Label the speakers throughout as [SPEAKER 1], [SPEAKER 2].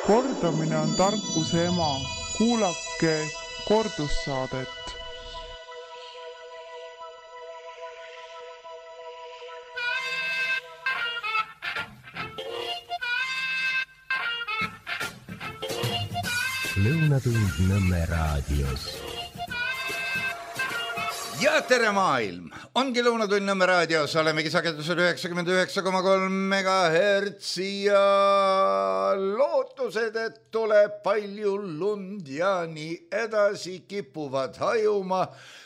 [SPEAKER 1] Kordamine on tarkuse ema. Kuulake kordussaadet.
[SPEAKER 2] Lõunatund Nõmme raadios.
[SPEAKER 3] Ja tere maailm! Ongi Lõunatund Nõmme raadios, olemegi sagedusel 99,3 MHz ja lootused, et tuleb palju lund ja nii edasi kipuvad hajuma.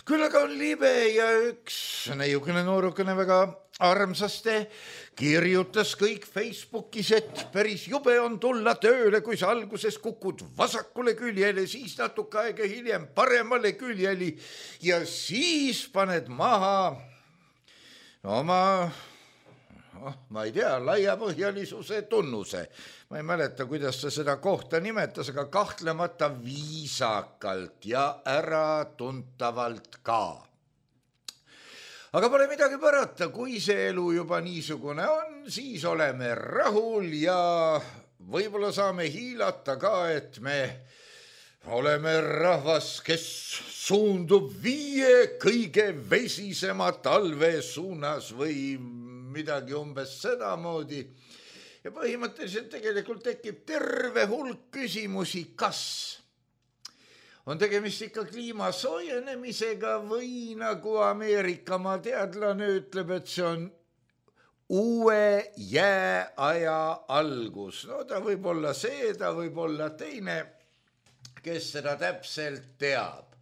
[SPEAKER 3] Küll aga on libe ja üks neiukene noorukene väga armsaste kirjutas kõik Facebookis, et päris jube on tulla tööle, kui sa alguses kukud vasakule küljele, siis natuke aega hiljem paremale küljeli ja siis paned maha oma, ma ei tea, laiapõhjalisuse tunnuse. Ma ei mäleta, kuidas ta seda kohta nimetas, aga kahtlemata viisakalt ja äratuntavalt ka. Aga pole midagi parata, kui see elu juba niisugune on, siis oleme rahul ja võib-olla saame hiilata ka, et me oleme rahvas, kes suundub 5 kõige vesisema talve suunas või midagi umbes sedamoodi. Ja põhimõtteliselt tegelikult tekib terve hulk küsimusi, kas on tegemist ikka kliima soojenemisega või nagu Ameerikamaa teadlane ütleb, et see on uue jääaja algus. No ta võib olla see, ta võib olla teine, kes seda täpselt teab.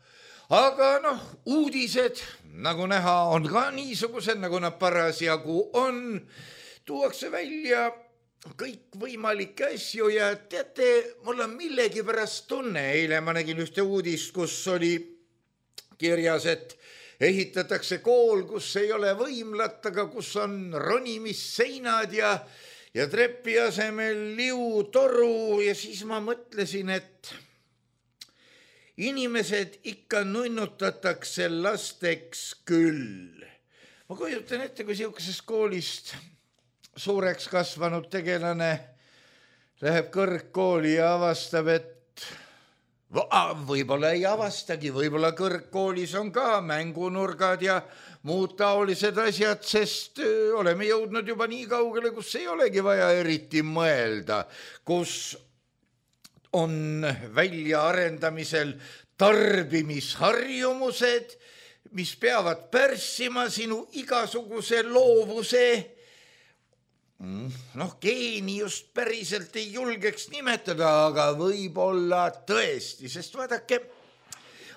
[SPEAKER 3] Aga uudised, nagu näha, on ka niisugused, nagu nad parasjagu on. Tuuakse välja kõik võimalikke asju ja teate, mul on millegi pärast tunne. Eile ma nägin ühte uudist, kus oli kirjas, et ehitatakse kool, kus ei ole võimlat, aga kus on ronimisseinad ja trepi asemel liutoru ja siis ma mõtlesin, et inimesed ikka nunnutatakse lasteks küll. Ma kujutan ette, kui siukesest koolist suureks kasvanud tegelane läheb kõrgkooli ja avastab, et võib-olla ei avastagi, võib-olla kõrgkoolis on ka mängunurgad ja muud taolised asjad, sest oleme jõudnud juba nii kaugele, kus ei olegi vaja eriti mõelda, kus on väljaarendamisel tarbimisharjumused, mis peavad pärssima sinu igasuguse loovuse. Geeni just päriselt ei julgeks nimetada, aga võib-olla tõesti, sest vaadake,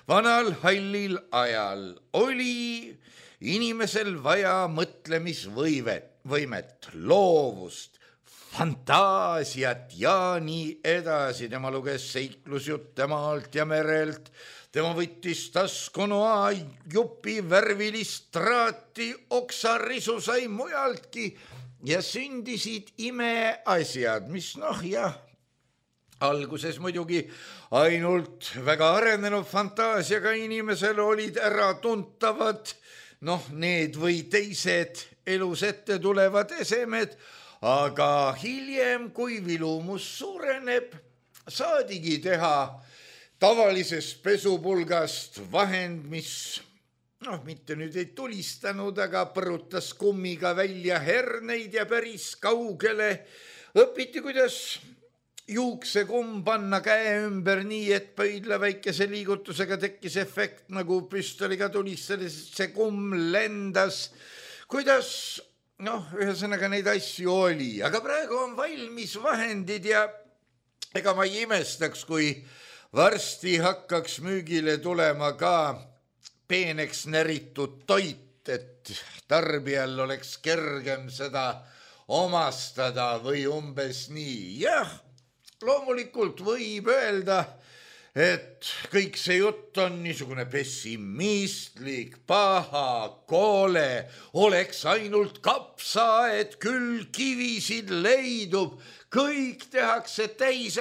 [SPEAKER 3] vanal hallil ajal oli inimesel vaja mõtlemisvõimet, loovust, fantaasiat ja nii edasi. Tema luges seiklusjutte maalt ja merelt, tema võttis taskunoa jupi värvilist traati, oksarisu sai mujaltki ja sündisid imeasjad, mis alguses muidugi ainult väga arenenud fantaasiaga inimesel olid äratuntavad, need või teised elus ette tulevad esemed, aga hiljem, kui vilumus suureneb, saadigi teha tavalisest pesupulgast vahend, mis mitte nüüd ei tulistanud, aga põrutas kummiga välja herneid ja päris kaugele õpiti, kuidas juuksekumm panna käe ümber nii, et pöidla väikese liigutusega tekkis efekt, nagu püstoliga tulistades, see kumm lendas, kuidas, ühesõnaga neid asju oli, aga praegu on valmis vahendid ja ega ma ei imestaks, kui varsti hakkaks müügile tulema ka peeneks näritud toit, et tarbijal oleks kergem seda omastada või umbes nii. Jah, loomulikult võib öelda, et kõik see jutt on niisugune pessimistlik, paha, koole, oleks ainult kapsaaed, küll kivisid leidub, kõik tehakse täis,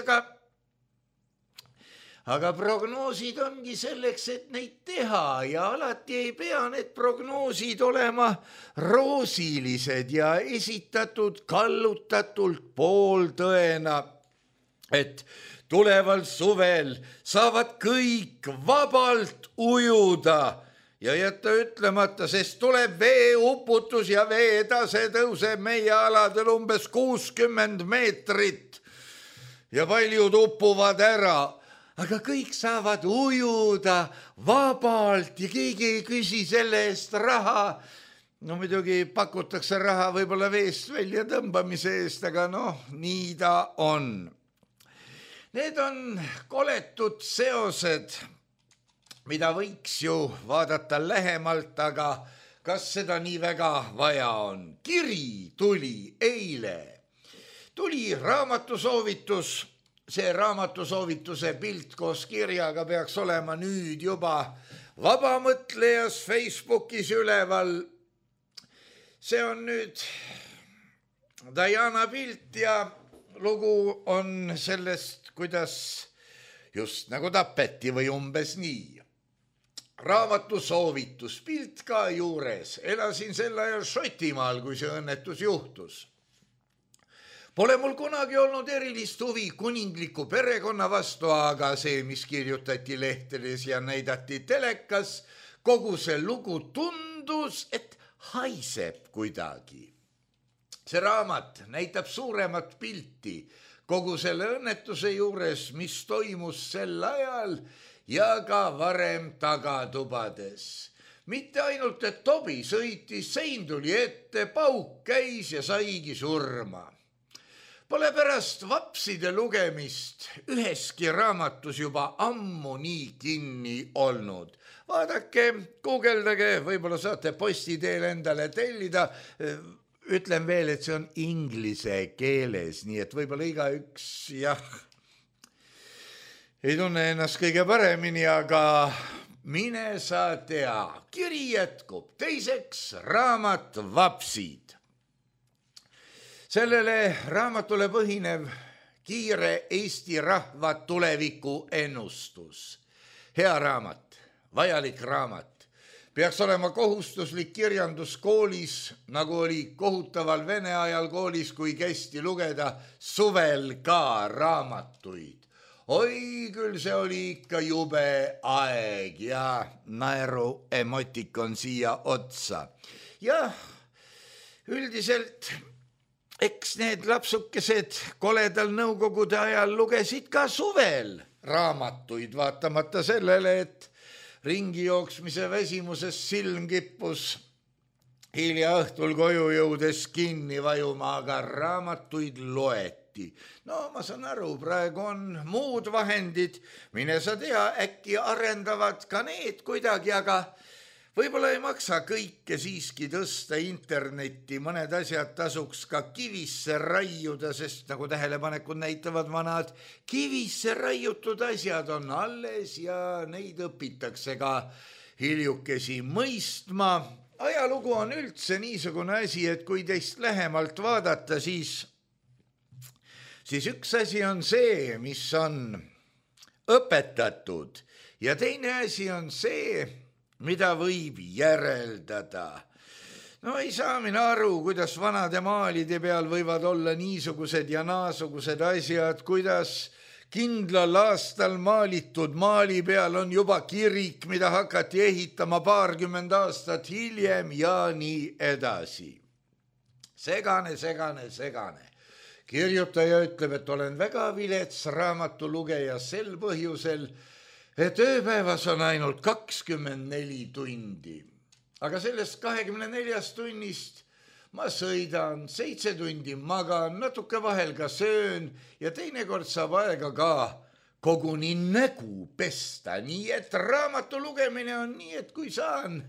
[SPEAKER 3] aga prognoosid ongi selleks, et neid teha ja alati ei pea need prognoosid olema roosilised ja esitatud kallutatult pooltõena. et tuleval suvel saavad kõik vabalt ujuda ja jätta ütlemata, sest tuleb veeuputus ja veetase tõuseb meie aladel umbes 60 meetrit ja paljud upuvad ära. Aga kõik saavad ujuda vabalt ja keegi ei küsi selle eest raha. No muidugi pakutakse raha võib-olla veest välja tõmbamise eest, aga nii ta on. Need on koletud seosed, mida võiks ju vaadata lähemalt, aga kas seda nii väga vaja on? Kiri tuli eile. Tuli raamatusoovitus. See raamatusoovituse pilt koos kirjaga peaks olema nüüd juba Vabamõtlejas Facebookis üleval. See on nüüd Diana pilt ja lugu on sellest, kuidas just nagu tapeti või umbes nii. Raamatusoovitus, pilt ka juures. Elasin sel ajal Šotimaal, kui see õnnetus juhtus. Pole mul kunagi olnud erilist huvi kuningliku perekonna vastu, aga see, mis kirjutati lehtedes ja näidati telekas, kogu see lugu tundus, et haiseb kuidagi. See raamat näitab suuremat pilti kogu selle õnnetuse juures, mis toimus sel ajal ja ka varem tagatubades. Mitte ainult, et Tobi sõitis, sein tuli ette, pauk käis ja saigi surma. Pole pärast vapside lugemist üheski raamatus juba ammu nii kinni olnud. Vaadake, guugeldage, võib-olla saate posti teel endale tellida. Ütlen veel, et see on inglise keeles, nii et võib-olla igaüks, ei tunne ennast kõige paremini, aga mine sa tea. Kiri jätkub. Teiseks raamat Vapsid. Sellele raamatule põhinev kiire Eesti rahva tuleviku ennustus. Hea raamat, vajalik raamat. Peaks olema kohustuslik kirjandus koolis, nagu oli kohutaval Vene ajal koolis, kui kästi lugeda suvel ka raamatuid. Oi, küll see oli ikka jube aeg ja naeru emotikon siia otsa. Jah, üldiselt eks need lapsukesed koledal nõukogude ajal lugesid ka suvel raamatuid, vaatamata sellele, et ringi jooksmise väsimuses silm kippus hilja õhtul koju jõudes kinni vajuma, aga raamatuid loeti. No ma saan aru, praegu on muud vahendid, mine sa tea, äkki arendavad ka need kuidagi, aga võib-olla ei maksa kõike siiski tõsta internetti, mõned asjad tasuks ka kivisse raiuda, sest nagu tähelepanekud näitavad vanad, kivisse raiutud asjad on alles ja neid õpitakse ka hiljukesi mõistma. Ajalugu on üldse niisugune asi, et kui teist lähemalt vaadata, siis üks asi on see, mis on õpetatud ja teine asi on see, mida võib järeldada. No ei saa mina aru, kuidas vanade maalide peal võivad olla niisugused ja naasugused asjad, kuidas kindlal aastal maalitud maali peal on juba kirik, mida hakati ehitama 20 aastat hiljem ja nii edasi. Segane. Kirjutaja ütleb, et olen väga vilets raamatulugeja sel põhjusel, et ööpäevas on ainult 24 tundi. Aga sellest 24 tunnist ma sõidan, 7 tundi magan, natuke vahel ka söön ja teinekord saab aega ka koguni nägu pesta. Nii et raamatu lugemine on nii, et kui saan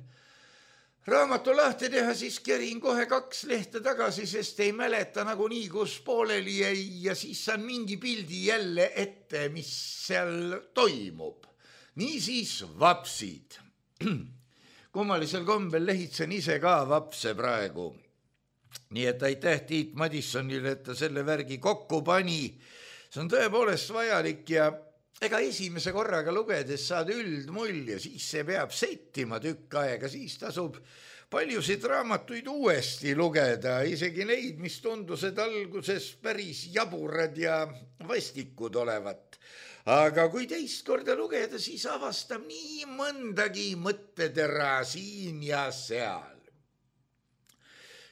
[SPEAKER 3] raamatu lahti teha, siis kerin kohe 2 lehte tagasi, sest ei mäleta nagunii, kus pooleli jäi ja siis saan mingi pildi jälle ette, mis seal toimub. Niisiis vapsid. Kummalisel kombel lehitsen ise ka vapse praegu. Nii et aitäh Tiit Madissonile, et ta selle värgi kokku pani. See on tõepoolest vajalik ja ega esimese korraga lugedes saad üldmulje, siis see peab settima tükk aega, siis tasub paljusid raamatuid uuesti lugeda, isegi neid, mis tundusid alguses päris jaburad ja vastikud olevat. Aga kui teist korda lugeda, siis avastab nii mõndagi mõttetera siin ja seal.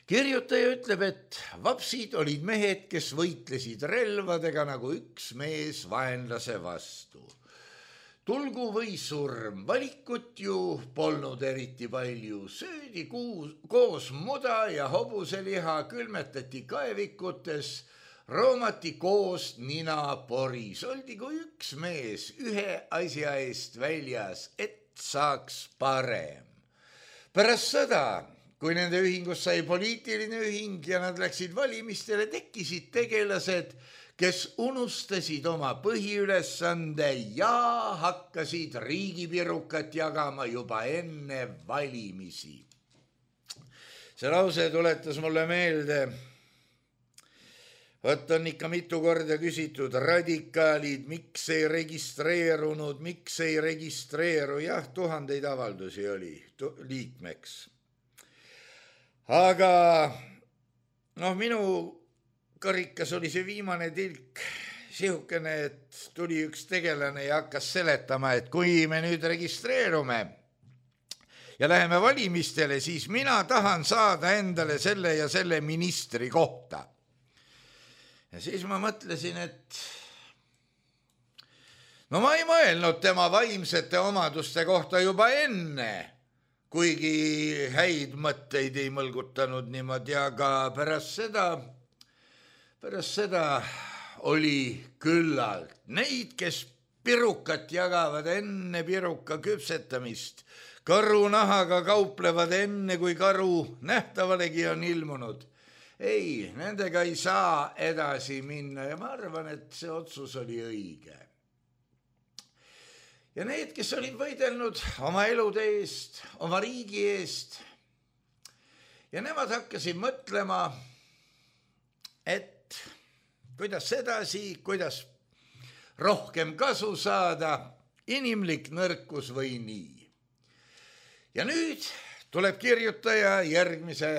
[SPEAKER 3] Kirjutaja ütleb, et vapsid olid mehed, kes võitlesid relvadega nagu üks mees vaenlase vastu. Tulgu või surm, valikut ju polnud eriti palju, söödi koos muda ja hobuseliha, külmetati kaevikutes, roomati koos nina poris, oldi kui üks mees ühe asja eest väljas, et saaks parem. Pärast sõda, kui nende ühingus sai poliitiline ühing ja nad läksid valimistele, tekkisid tegelased, kes unustasid oma põhiülesande ja hakkasid riigipirukat jagama juba enne valimisi. See lause tuletas mulle meelde, võt on ikka mitu korda küsitud, radikaalid, miks ei registreeru, jah, tuhandeid avaldusi oli liikmeks. Aga minu karikas oli see viimane tilk sihukene, et tuli üks tegelane ja hakkas seletama, et kui me nüüd registreerume ja läheme valimistele, siis mina tahan saada endale selle ja selle ministri kohta. Ja siis ma mõtlesin, et ma ei mõelnud tema vaimsete omaduste kohta juba enne, kuigi häid mõtteid ei mõlgutanud niimoodi, aga pärast seda oli küllalt neid, kes pirukat jagavad enne piruka küpsetamist, karunahaga kauplevad enne, kui karu nähtavalegi on ilmunud. Ei, nendega ei saa edasi minna ja ma arvan, et see otsus oli õige. Ja need, kes olid võidelnud oma elude eest, oma riigi eest, ja nemad hakkasid mõtlema, et kuidas edasi, kuidas rohkem kasu saada, inimlik nõrkus või nii. Ja nüüd tuleb kirjutaja järgmise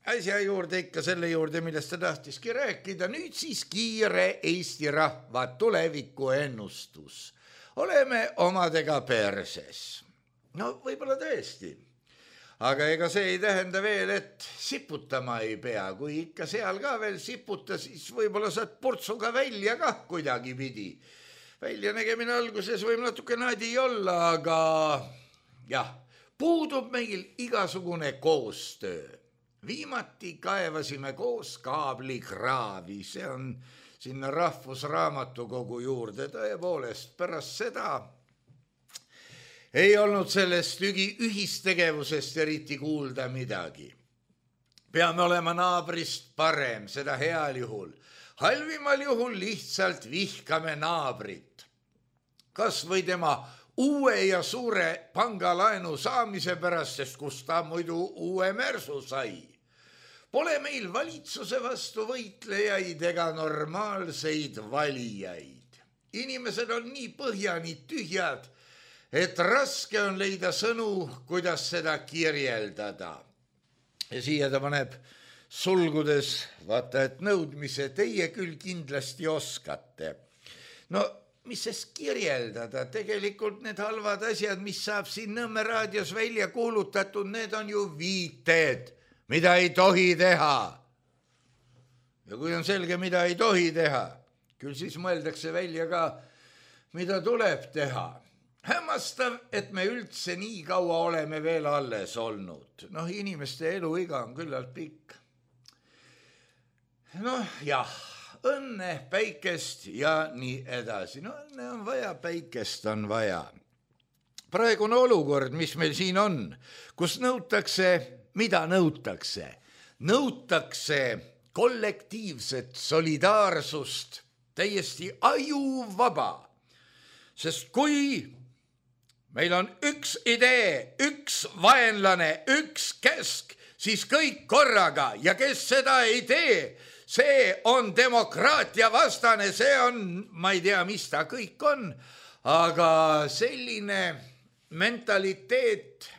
[SPEAKER 3] asja juurde, ikka selle juurde, millest ta tahtiski rääkida. Nüüd siis kiire Eesti rahva tuleviku ennustus. Oleme omadega perses. Võib-olla tõesti. Aga ega see ei tähenda veel, et siputama ei pea. Kui ikka seal ka veel siputa, siis võib-olla saad purtsuga välja kah kuidagi pidi. Välja nägemine alguses võib natuke nadi olla, aga jah, puudub meil igasugune koostöö. Viimati kaevasime koos kaablikraavi, see on sinna Rahvusraamatukogu juurde. Tõepoolest, pärast seda ei olnud sellest ühistegevusest eriti kuulda midagi. Peame olema naabrist parem, seda heal juhul. Halvimal juhul lihtsalt vihkame naabrit. Kas või tema uue ja suure pangalaenu saamise pärast, sest kus ta muidu uue märsu sai. Pole meil valitsuse vastu võitlejaid ega normaalseid valijaid. Inimesed on nii põhjani tühjad, et raske on leida sõnu, kuidas seda kirjeldada. Ja siia ta paneb sulgudes, vaata, et nõudmise teie küll kindlasti oskate. Mis sest kirjeldada? Tegelikult need halvad asjad, mis saab siin Nõmme raadios välja kuulutatud, need on ju viited, mida ei tohi teha. Ja kui on selge, mida ei tohi teha, küll siis mõeldakse välja ka, mida tuleb teha. Hämmastav, et me üldse nii kaua oleme veel alles olnud. Inimeste eluiga on küllalt pikk. Jah, õnne, päikest ja nii edasi. Õnne on vaja, päikest on vaja. Praegune olukord, mis meil siin on, kus nõutakse, mida nõutakse? Nõutakse kollektiivset solidaarsust, täiesti ajuvaba. Sest kui meil on üks idee, üks vaenlane, üks käsk, siis kõik korraga ja kes seda ei tee, see on demokraatia vastane, see on, ma ei tea, mis ta kõik on, aga selline mentaliteet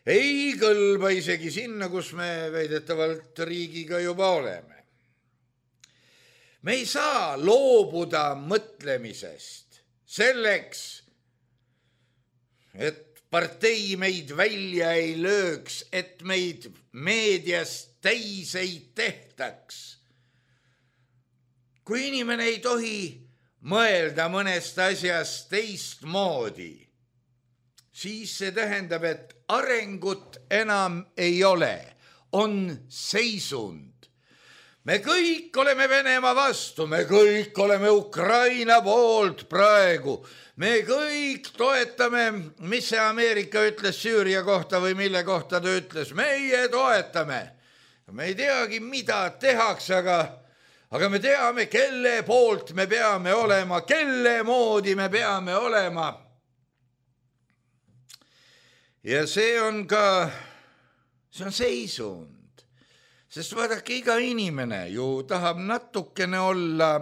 [SPEAKER 3] ei kõlba isegi sinna, kus me väidetavalt riigiga juba oleme. Me ei saa loobuda mõtlemisest selleks, et partei meid välja ei lööks, et meid meedias täis ei tehtaks. Kui inimene ei tohi mõelda mõnest asjast teistmoodi, siis see tähendab, et arengut enam ei ole, on seisund. Me kõik oleme Venemaa vastu, me kõik oleme Ukraina poolt praegu, me kõik toetame, mis see Ameerika ütles Süüria kohta või mille kohta ta ütles, meie toetame. Me ei teagi, mida tehakse, aga me teame, kelle poolt me peame olema, kelle moodi me peame olema. Ja see on seisund. Sest vaadake, iga inimene ju tahab natukene olla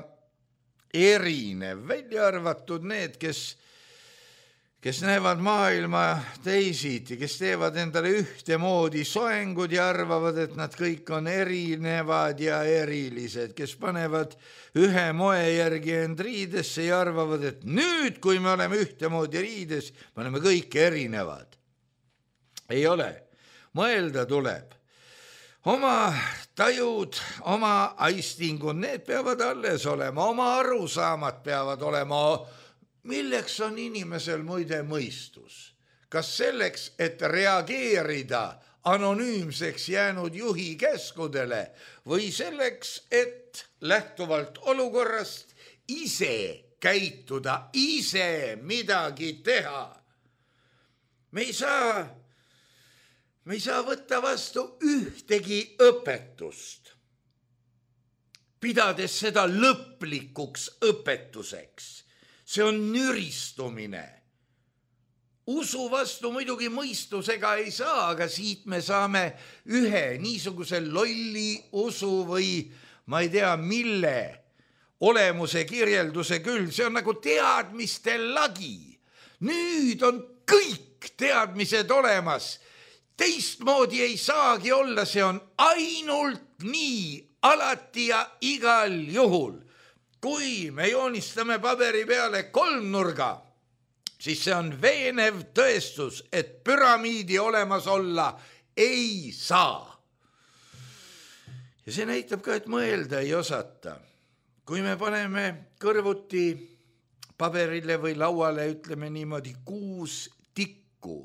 [SPEAKER 3] erinev, välja arvatud need, kes näevad maailma teisiti, kes teevad endale ühtemoodi soengud ja arvavad, et nad kõik on erinevad ja erilised, kes panevad ühe moe järgi end riidesse ja arvavad, et nüüd, kui me oleme ühtemoodi riides, me oleme kõik erinevad. Ei ole. Mõelda tuleb. Oma tajud, oma aistingud, need peavad alles olema, oma arusaamad peavad olema. Milleks on inimesel muide mõistus? Kas selleks, et reageerida anonüümseks jäänud juhi käskudele või selleks, et lähtuvalt olukorrast ise käituda, ise midagi teha? Me ei saa võtta vastu ühtegi õpetust, pidades seda lõplikuks õpetuseks. See on nüristumine. Usu vastu muidugi mõistusega ei saa, aga siit me saame ühe niisuguse lolli usu või ma ei tea mille olemuse kirjelduse küll. See on nagu teadmiste lagi. Nüüd on kõik teadmised olemas. Teistmoodi ei saagi olla, see on ainult nii, alati ja igal juhul. Kui me joonistame paberi peale kolmnurga, siis see on veenev tõestus, et püramiidi olemas olla ei saa. Ja see näitab ka, et mõelda ei osata. Kui me paneme kõrvuti paberile või lauale, ütleme niimoodi 6 tikku,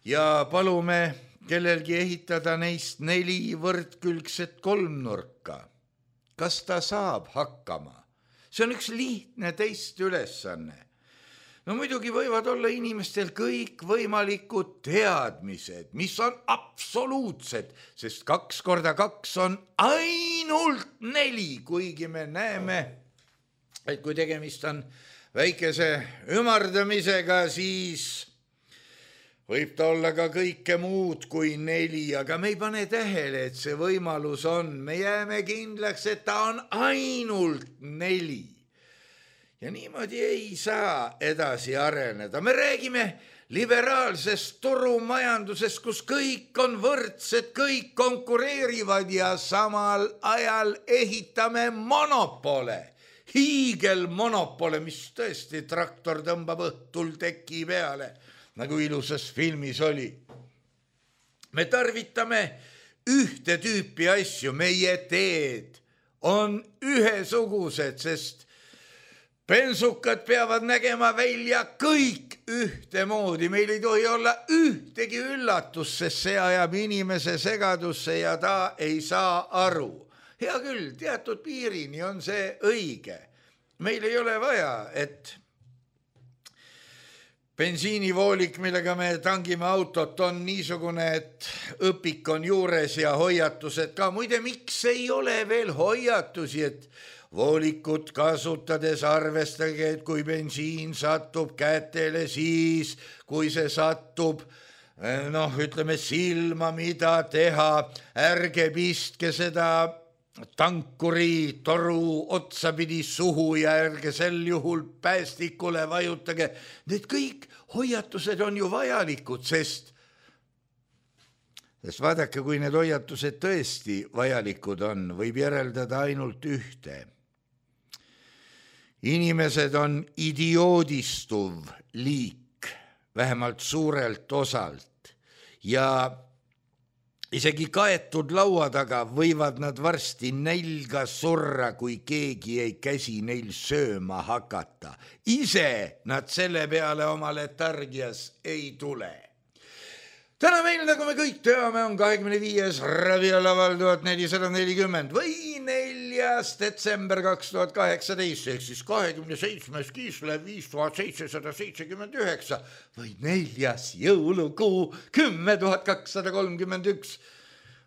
[SPEAKER 3] ja palume kellelgi ehitada neist 4 võrdkülgset kolmnurka. Kas ta saab hakkama? See on üks lihtne teist ülesanne. No muidugi võivad olla inimestel kõik võimalikud teadmised, mis on absoluutsed, sest 2 × 2 on ainult 4, kuigi me näeme, et kui tegemist on väikese ümardamisega, siis võib ta olla ka kõike muud kui 4, aga me ei pane tähele, et see võimalus on. Me jääme kindlaks, et ta on ainult 4. Ja niimoodi ei saa edasi areneda. Me räägime liberaalsest turumajandusest, kus kõik on võrdsed, kõik konkureerivad ja samal ajal ehitame monopole. Hiigelmonopole, mis tõesti traktor tõmbab õhtul teki peale, nagu ilusas filmis oli. Me tarvitame ühte tüüpi asju, meie teed on ühesugused, sest bensukad peavad nägema välja kõik ühtemoodi. Meil ei tohi olla ühtegi üllatus, sest see ajab inimese segadusse ja ta ei saa aru. Hea küll, teatud piirini on see õige. Meil ei ole vaja, et bensiinivoolik, millega me tangime autot, on niisugune, et õpik on juures ja hoiatused ka. Muide, miks ei ole veel hoiatusi, et voolikut kasutades arvestage, et kui bensiin satub kätele, siis kui see satub, ütleme silma, mida teha, ärge pistke seda tankuri toru otsapidi suhu ja ärge sel juhul päästikule vajutage. Need kõik hoiatused on ju vajalikud, sest Sest vaadake, kui need hoiatused tõesti vajalikud on, võib järeldada ainult ühte. Inimesed on idioodistuv liik, vähemalt suurelt osalt, ja isegi kaetud laua taga võivad nad varsti nälga surra, kui keegi ei käsi neil sööma hakata. Ise nad selle peale oma letargias ei tule. Täna meil, nagu me kõik teame, on 25. Ravialaval 1440 või 4. detsember 2018, ehk siis 27. Kislev 5779 või 4. jõulukuu 10,231.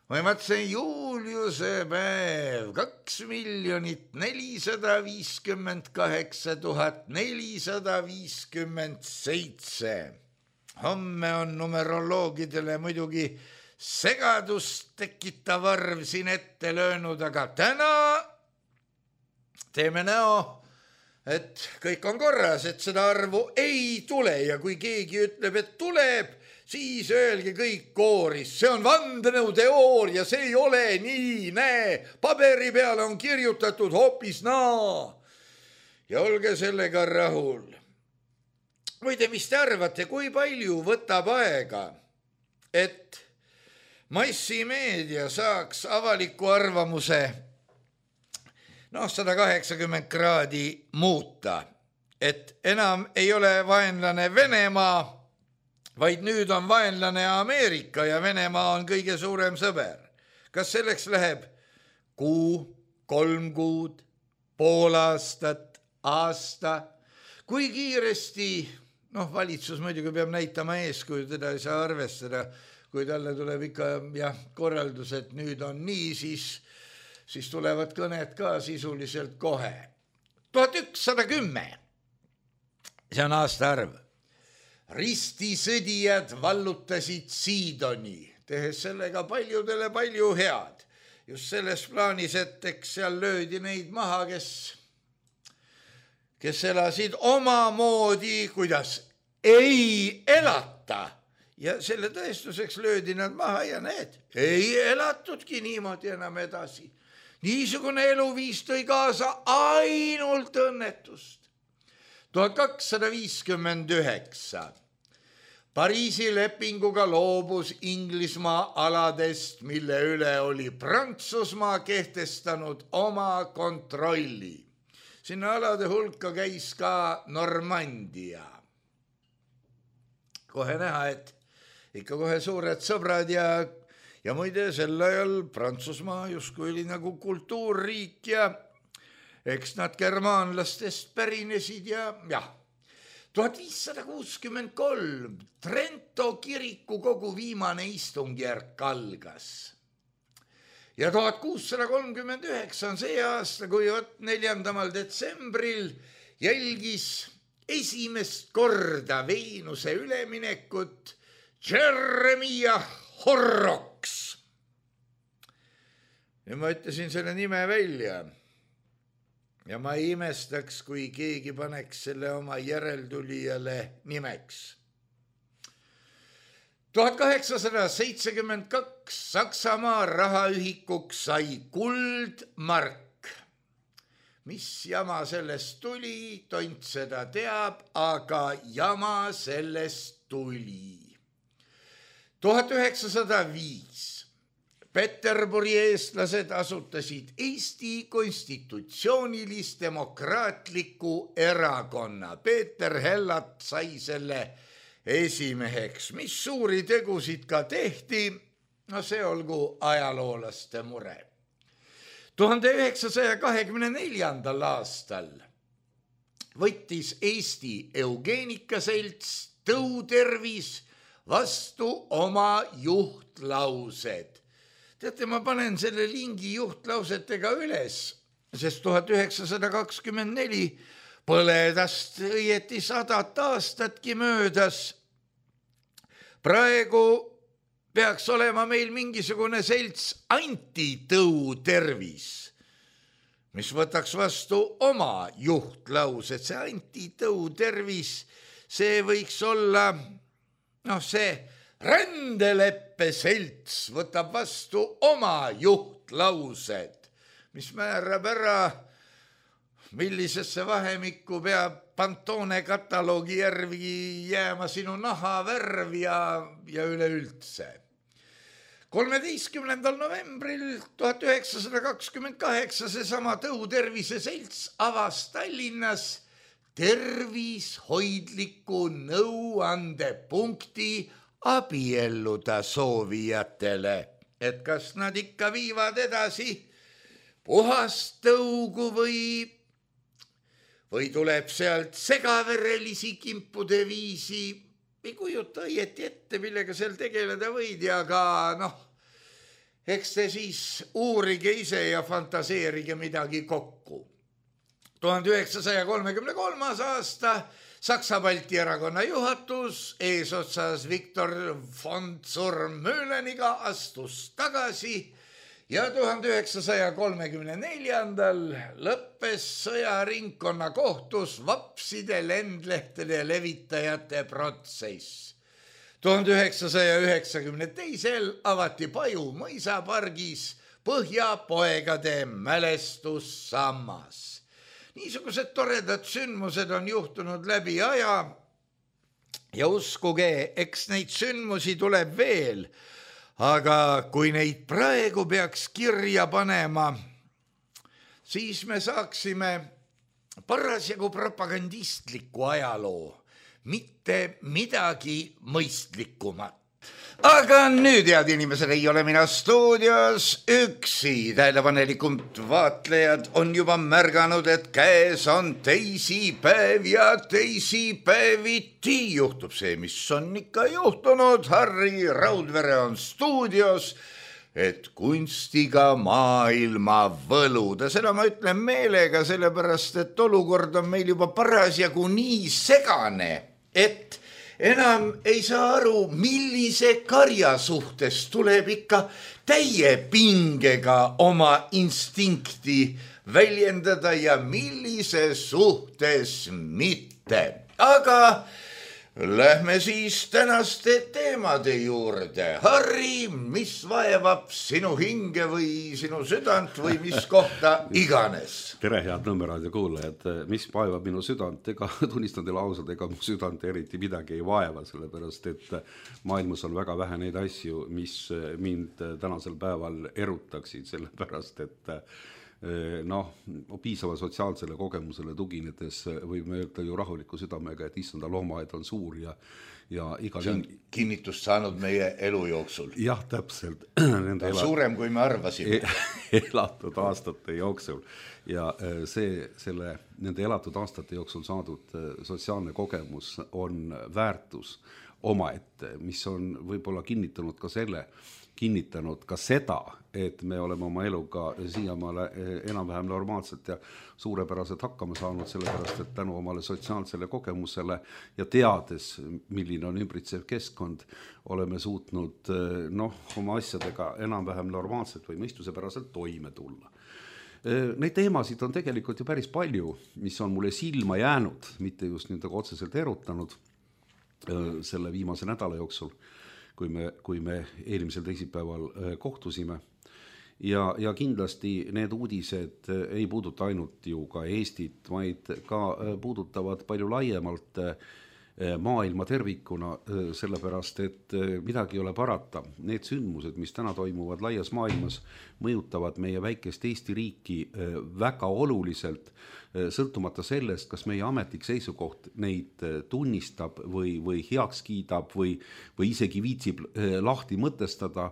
[SPEAKER 3] Või mõtlesin Juliuse päev 2,458,457. Homme on numeroloogidele muidugi segadust tekitav arv siin ette löönud, aga täna teeme näo, et kõik on korras, et seda arvu ei tule ja kui keegi ütleb, et tuleb, siis öelge kõik kooris, see on vandenõuteooria, see ei ole nii, näe, paberi peale on kirjutatud hoopis naa. Ja olge sellega rahul. Muide, mis te arvate, kui palju võtab aega, et massimeedia saaks avaliku arvamuse 180 kraadi muuta, et enam ei ole vaenlane Venemaa, vaid nüüd on vaenlane Ameerika ja Venemaa on kõige suurem sõber. Kas selleks läheb kuu, 3 kuud, pool aastat, aasta? Kui kiiresti, valitsus muidugi peab näitama eeskuju, teda ei saa arvestada, kui talle tuleb ikka korraldus, et nüüd on nii, siis tulevad kõned ka sisuliselt kohe. 1110, see on aastaarv. Ristisõdijad vallutasid Siidoni, tehes sellega paljudele palju head. Just selles plaanis, et eks seal löödi neid maha, kes elasid omamoodi, kuidas ei elata. Ja selle tõestuseks löödi nad maha ja need ei elatudki niimoodi enam edasi. Niisugune eluviis tõi kaasa ainult õnnetust. 1259. Pariisi lepinguga loobus Inglismaa aladest, mille üle oli Prantsusmaa kehtestanud oma kontrolli. Sinna alade hulka käis ka Normandia. Kohe näha, et ikka kohe suured sõbrad ja muide sel ajal Prantsusmaa justkui oli nagu kultuurriik ja eks nad germaanlastest pärinesid ja 1563 Trento kiriku kogu viimane istungjärk algas. Ja 1639 on see aasta, kui 4. detsembril jälgis esimest korda Veenuse üleminekut Jeremiah Horrocks. Ja ma ütlesin selle nime välja. Ja ma ei imestaks, kui keegi paneks selle oma järeltulijale nimeks. 1872 Saksamaa rahaühikuks sai kuldmark. Mis jama sellest tuli, tont seda teab, aga jama sellest tuli. 1905 Peterburi eestlased asutasid Eesti konstitutsioonilis-demokraatliku erakonna. Peeter Hellat sai selle esimeheks. Mis suuri tegusid ka tehti, see olgu ajaloolaste mure. 1924. aastal võttis Eesti Eugeenikaselts Tõutervis vastu oma juhtlaused. Teate, ma panen selle lingi juhtlausetega üles, sest 1924 põledast õieti 100 aastatki möödas. Praegu peaks olema meil mingisugune selts Antitõutervis, mis võtaks vastu oma juhtlaused. See Antitõutervis, see võiks olla see rändelepp leppeselts võtab vastu oma juhtlaused, mis määrab ära, millisesse vahemikku peab Pantone kataloogi järgi jääma sinu nahavärv ja üleüldse. 13. novembril 1928 seesama Tõutervise selts avas Tallinnas tervishoidliku nõuandepunkti abielluda soovijatele, et kas nad ikka viivad edasi puhast tõugu või tuleb sealt segaverelisi kimpude viisi. Ei kujuta õieti ette, millega seal tegeleda võid ja ka eks te siis uurige ise ja fantaseerige midagi kokku. 1933. aasta Saksa-Balti erakonna juhatus eesotsas Viktor von Zurmühleniga astus tagasi ja 1934. lõppes sõjaringkonna kohtus vapside lendlehtede levitajate protsess. 1992. avati Paju mõisapargis Põhjapoegade mälestussammas. Niisugused toredad sündmused on juhtunud läbi aja ja uskuge, eks neid sündmusi tuleb veel, aga kui neid praegu peaks kirja panema, siis me saaksime parasjagu propagandistliku ajaloo, mitte midagi mõistlikumat. Aga nüüd, head inimesed, ei ole mina stuudios üksi. Tähelepanelikud vaatlejad on juba märganud, et käes on teisipäev ja teisipäeviti juhtub see, mis on ikka juhtunud. Harri Raudvere on stuudios, et kunstiga maailma võluda. Seda ma ütlen meelega, sellepärast, et olukord on meil juba parasjagu nii segane, et enam ei saa aru, millise karja suhtes tuleb ikka täie pingega oma instinkti väljendada ja millise suhtes mitte. Aga lähme siis tänaste teemade juurde. Harri, mis vaevab sinu hinge või sinu südant või mis kohta iganes?
[SPEAKER 4] Tere, head Nõmmeraadio kuulajad. Mis vaevab minu südant? Ega tunnistan teile ausalt, ega mu südant eriti midagi ei vaeva, sellepärast et maailmas on väga vähe neid asju, mis mind tänasel päeval erutaksid, sellepärast et piisava sotsiaalsele kogemusele tuginedes võime öelda ju rahuliku südamega, et issanda loomaaed on suur ja igal
[SPEAKER 3] see on kinnitust saanud meie elu jooksul.
[SPEAKER 4] Jah, täpselt.
[SPEAKER 3] Suurem, kui me arvasime.
[SPEAKER 4] Elatud aastate jooksul ja nende elatud aastate jooksul saadud sotsiaalne kogemus on väärtus omaette, mis on võib-olla kinnitanud ka seda, et me oleme oma eluga siiamaale enam-vähem normaalselt ja suurepäraselt hakkama saanud, sellepärast, et tänu omale sotsiaalsele kogemusele ja teades, milline on ümbritsev keskkond, oleme suutnud oma asjadega enam-vähem normaalselt või mõistusepäraselt toime tulla. Neid teemasid on tegelikult ju päris palju, mis on mulle silma jäänud, mitte just nendega otseselt erutanud selle viimase nädala jooksul, kui me eelmisel teisipäeval kohtusime. Ja kindlasti need uudised ei puuduta ainult ju ka Eestit, vaid ka puudutavad palju laiemalt maailma tervikuna, sellepärast, et midagi ei ole parata. Need sündmused, mis täna toimuvad laias maailmas, mõjutavad meie väikest Eesti riiki väga oluliselt, sõltumata sellest, kas meie ametlik seisukoht neid tunnistab või heaks kiidab või isegi viitsib lahti mõtestada,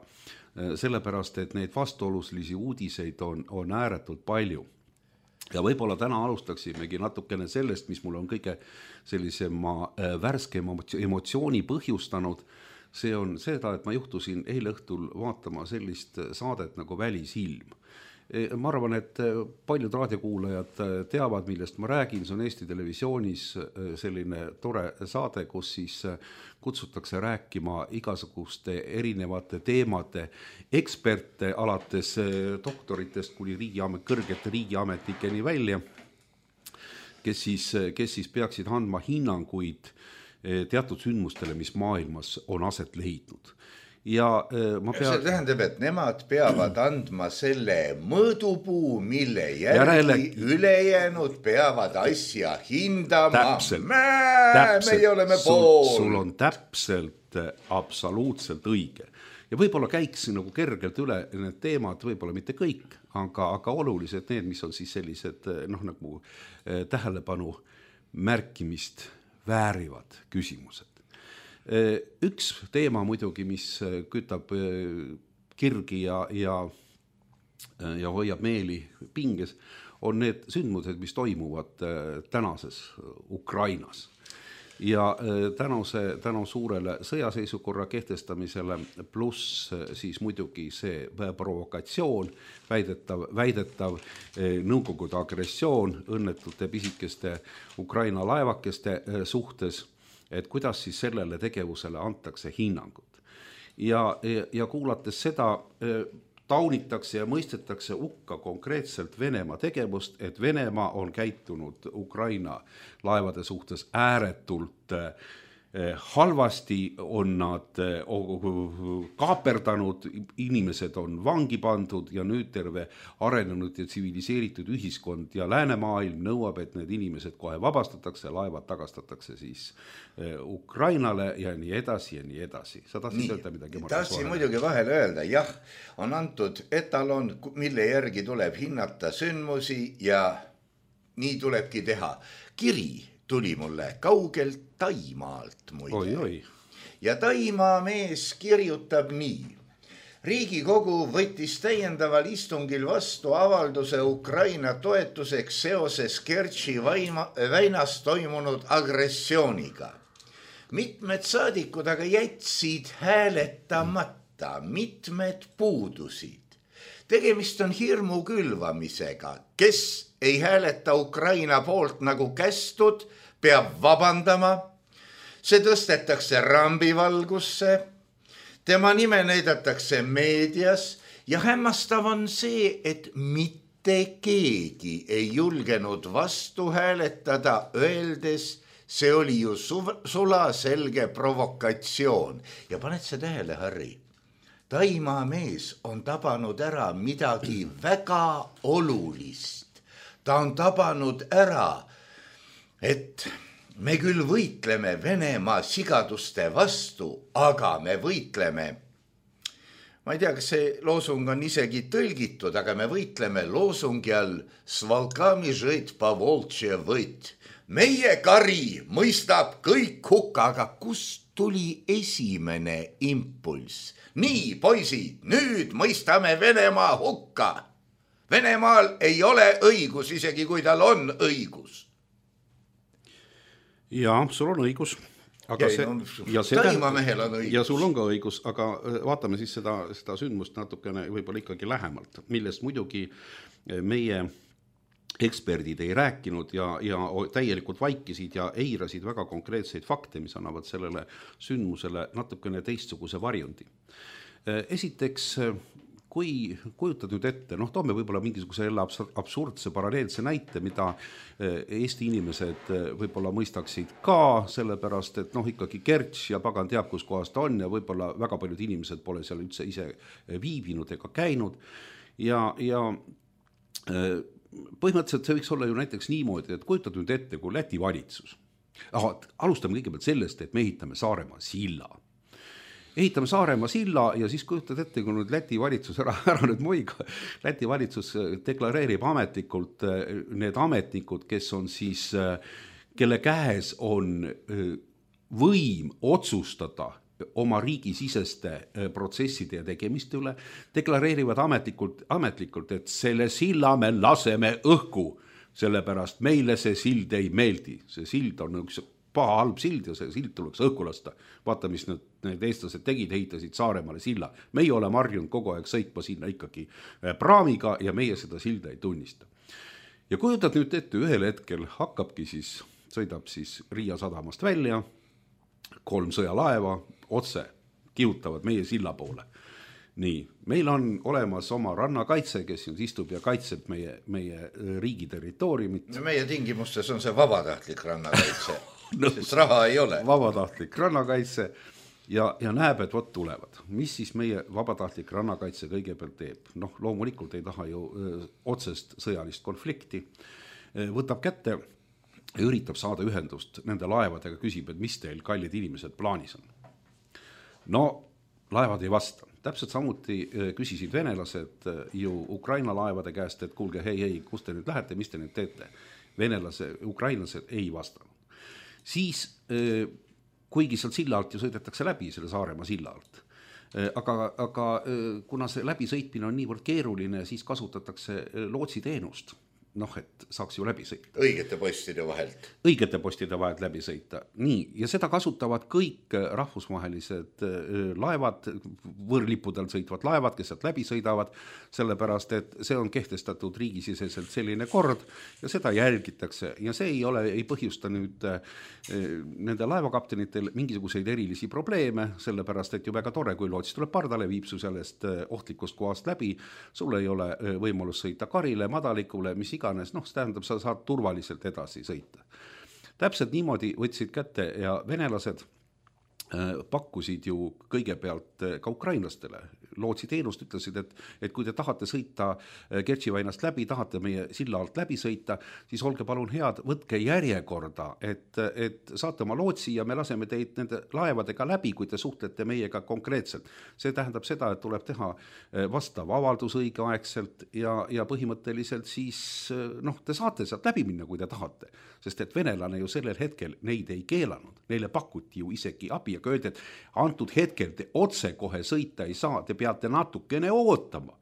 [SPEAKER 4] sellepärast, et neid vastuoluslisi uudiseid on ääretult palju. Ja võib-olla täna alustaksimegi natukene sellest, mis mul on kõige sellisema värskema emotsiooni põhjustanud. See on seda, et ma juhtusin eile õhtul vaatama sellist saadet nagu Välisilm. Ma arvan, et paljud raadiokuulajad teavad, millest ma räägin. See on Eesti Televisioonis selline tore saade, kus siis kutsutakse rääkima igasuguste erinevate teemade eksperte alates doktoritest kuni kõrgete riigiametnikeni välja, kes siis peaksid andma hinnanguid teatud sündmustele, mis maailmas on aset leidnud. ja ma
[SPEAKER 3] see tähendab, et nemad peavad andma selle mõõdupuu, mille järgi ülejäänud peavad asja hindama. Meie oleme pool.
[SPEAKER 4] Sul on täpselt absoluutselt õige. Ja võib-olla käiks nagu kergelt üle need teemad, võib-olla mitte kõik, aga olulised need, mis on siis sellised nagu tähelepanu märkimist väärivad küsimused. Üks teema muidugi, mis kütab kirgi ja hoiab meeli pinges, on need sündmused, mis toimuvad tänases Ukrainas. Ja tänu suurele sõjaseisukorra kehtestamisele pluss siis muidugi see provokatsioon, väidetav Nõukogude agressioon õnnetute pisikeste Ukraina laevakeste suhtes, et kuidas siis sellele tegevusele antakse hinnangut. Ja kuulates seda, taunitakse ja mõistetakse hukka konkreetselt Venemaa tegevust, et Venemaa on käitunud Ukraina laevade suhtes ääretult halvasti, on nad kaaperdanud, inimesed on vangi pandud ja nüüd terve arenenud ja tsiviliseeritud ühiskond ja läänemaailm nõuab, et need inimesed kohe vabastatakse, laevad tagastatakse siis Ukrainale ja nii edasi ja nii edasi. Sa tahtsid öelda midagi?
[SPEAKER 3] Tahtsin muidugi vahele öelda, jah, on antud etalon, mille järgi tuleb hinnata sündmusi ja nii tulebki teha. Kiri tuli mulle kaugelt Taimaalt muide.
[SPEAKER 4] Oi.
[SPEAKER 3] Ja Taimaa mees kirjutab nii. Riigikogu võttis täiendaval istungil vastu avalduse Ukraina toetuseks seoses Kertši väinas toimunud agressiooniga. Mitmed saadikud aga jätsid hääletamata, mitmed puudusid. Tegemist on hirmu külvamisega, kes ei hääleta Ukraina poolt nagu kästud, peab vabandama. See tõstetakse rambivalgusse, tema nime näidatakse meedias ja hämmastav on see, et mitte keegi ei julgenud vastu hääletada, öeldes, see oli ju sulaselge provokatsioon. Ja paned see tähele, Harri? Taimaa mees on tabanud ära midagi väga olulist. Ta on tabanud ära, et me küll võitleme Venemaa sigaduste vastu, aga me võitleme, ma ei tea, kas see loosung on isegi tõlgitud, aga me võitleme loosungi all Svalkami žõit pavoltše võit. Meie kari mõistab kõik hukka, aga kust tuli esimene impulss? Nii, poisid, nüüd mõistame Venemaa hukka. Venemaal ei ole õigus, isegi kui tal on õigus.
[SPEAKER 4] Ja sul on õigus. Aga
[SPEAKER 3] Taimamehel on õigus.
[SPEAKER 4] Ja sul on ka õigus, aga vaatame siis seda sündmust natukene võib-olla ikkagi lähemalt, millest muidugi meie eksperdid ei rääkinud ja täielikult vaikisid ja eirasid väga konkreetseid fakte, mis annavad sellele sündmusele natukene teistsuguse varjundi. Esiteks, kui kujutad nüüd ette, toome võib-olla mingisuguse absurdse paralleelse näite, mida Eesti inimesed võib-olla mõistaksid ka, sellepärast, et ikkagi Kertš ja pagan teab, kus kohas ta on ja võib-olla väga paljud inimesed pole seal üldse ise viibinud ega käinud ja põhimõtteliselt see võiks olla ju näiteks niimoodi, et kujutad nüüd ette, kui Läti valitsus. Alustame kõigepealt sellest, et me ehitame Saaremaa silla. Ehitame Saaremaa silla ja siis kujutad ette, kui nüüd Läti valitsus ära nüüd muiga. Läti valitsus deklareerib ametlikult need ametnikud, kes on siis, kelle käes on võim otsustada oma riigisiseste protsesside ja tegemiste üle, deklareerivad ametlikult, et selle silla me laseme õhku, sellepärast meile see sild ei meeldi. See sild on üks paha halb sild ja see sild tuleks õhku lasta. Vaata, mis need eestlased tegid, ehitasid Saaremaale silla. Meie oleme harjunud kogu aeg sõitma sinna ikkagi praamiga ja meie seda silda ei tunnista. Ja kujutad nüüd ette, ühel hetkel sõidab siis Riia sadamast välja, 3 sõjalaeva otse kihutavad meie silla poole. Nii, meil on olemas oma rannakaitse, kes istub ja kaitseb meie riigi territooriumit.
[SPEAKER 3] No meie tingimustes on see vabatahtlik rannakaitse, sest raha ei ole.
[SPEAKER 4] Vabatahtlik rannakaitse ja näeb, et vot tulevad. Mis siis meie vabatahtlik rannakaitse kõigepealt teeb? Noh, loomulikult ei taha ju otsest sõjalist konflikti. Võtab kätte ja üritab saada ühendust nende laevadega, küsib, et mis teil, kallid inimesed, plaanis on. No, laevad ei vasta. Täpselt samuti küsisid venelased ju Ukraina laevade käest, et kuulge, hei, kus te nüüd lähete, mis te nüüd teete? Ukrainlased ei vastanud. Siis, kuigi sealt silla alt ju sõidetakse läbi, selle Saaremaa silla alt, aga kuna see läbisõitmine on niivõrd keeruline, siis kasutatakse lootsiteenust, noh, et saaks ju läbi sõita.
[SPEAKER 3] Õigete postide vahelt läbi sõita. Nii, ja seda kasutavad kõik rahvusvahelised laevad, võõrlippudel sõitvad laevad, kes sealt läbi sõidavad, sellepärast, et see on kehtestatud riigisiseselt selline kord ja seda jälgitakse ja see ei põhjusta nüüd nende laevakaptenitel mingisuguseid erilisi probleeme, sellepärast, et ju väga tore, kui loots tuleb pardale, viib su sellest ohtlikust kohast läbi, sul ei ole võimalus sõita karile, madalikule, mis iganes, noh, see tähendab, sa saad turvaliselt edasi sõita. Täpselt niimoodi võtsid kätte ja venelased pakkusid ju kõigepealt ka ukrainlastele. Lootsiteenust ütlesid, et kui te tahate sõita Kertši väinast läbi, tahate meie silla alt läbi sõita, siis olge palun head, võtke järjekorda, et saate oma lootsi ja me laseme teid nende laevadega läbi, kui te suhtlete meiega konkreetselt. See tähendab seda, et tuleb teha vastav avaldus õigeaegselt ja põhimõtteliselt siis te saate sealt läbi minna, kui te tahate, sest et venelane ju sellel hetkel neid ei keelanud, neile pakuti ju isegi abi ja öeldi, et antud hetkel te otse kohe sõita ei saa, te peate natukene ootama.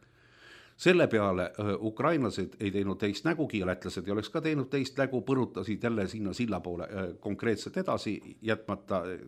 [SPEAKER 3] Selle peale ukrainlased ei teinud teist nägugi ja lätlased ei oleks ka teinud teist nägu, põrutasid jälle sinna silla poole konkreetselt edasi,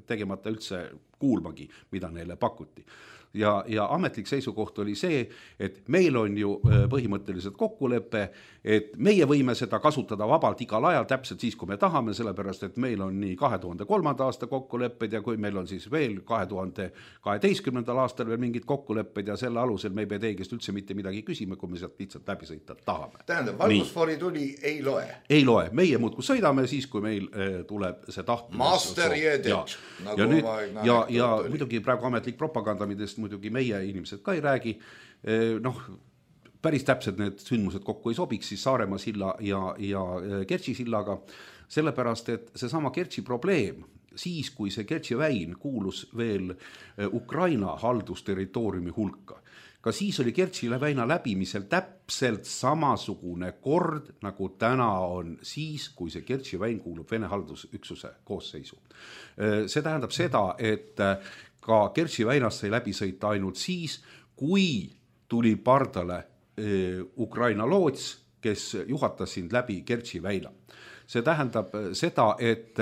[SPEAKER 3] tegemata üldse kuulmagi, mida neile pakuti. Ja ametlik seisukoht oli see, et meil on ju põhimõtteliselt kokkulepe, et meie võime seda kasutada vabalt igal ajal, täpselt siis, kui me tahame, sellepärast, et meil on nii 2003. aasta kokkulepped ja kui meil on siis veel 2012. aastal veel mingid kokkulepped ja selle alusel me ei pea teigest üldse mitte midagi küsima, kui me sealt lihtsalt läbi sõita tahame. Tähendab, valgusfoori tuli ei loe?
[SPEAKER 4] Ei loe, meie muudkui sõidame siis, kui meil tuleb see tahtmine.
[SPEAKER 3] Master jeded.
[SPEAKER 4] Ja muidugi praegu ametlik propaganda, midest muidugi meie inimesed ka ei räägi, päris täpselt need sündmused kokku ei sobiks siis Saaremaa silla ja Kertši sillaga, sellepärast, et see sama Kertši probleem, siis kui see Kertši väin kuulus veel Ukraina haldusterritooriumi hulka, ka siis oli Kertši väina läbimisel täpselt samasugune kord, nagu täna on siis, kui see Kertši väin kuulub Vene haldusüksuse koosseisu. See tähendab seda, et ka Kertši väinast sai läbi sõita ainult siis, kui tuli pardale Ukraina loots, kes juhatas sind läbi Kertši väina. See tähendab seda, et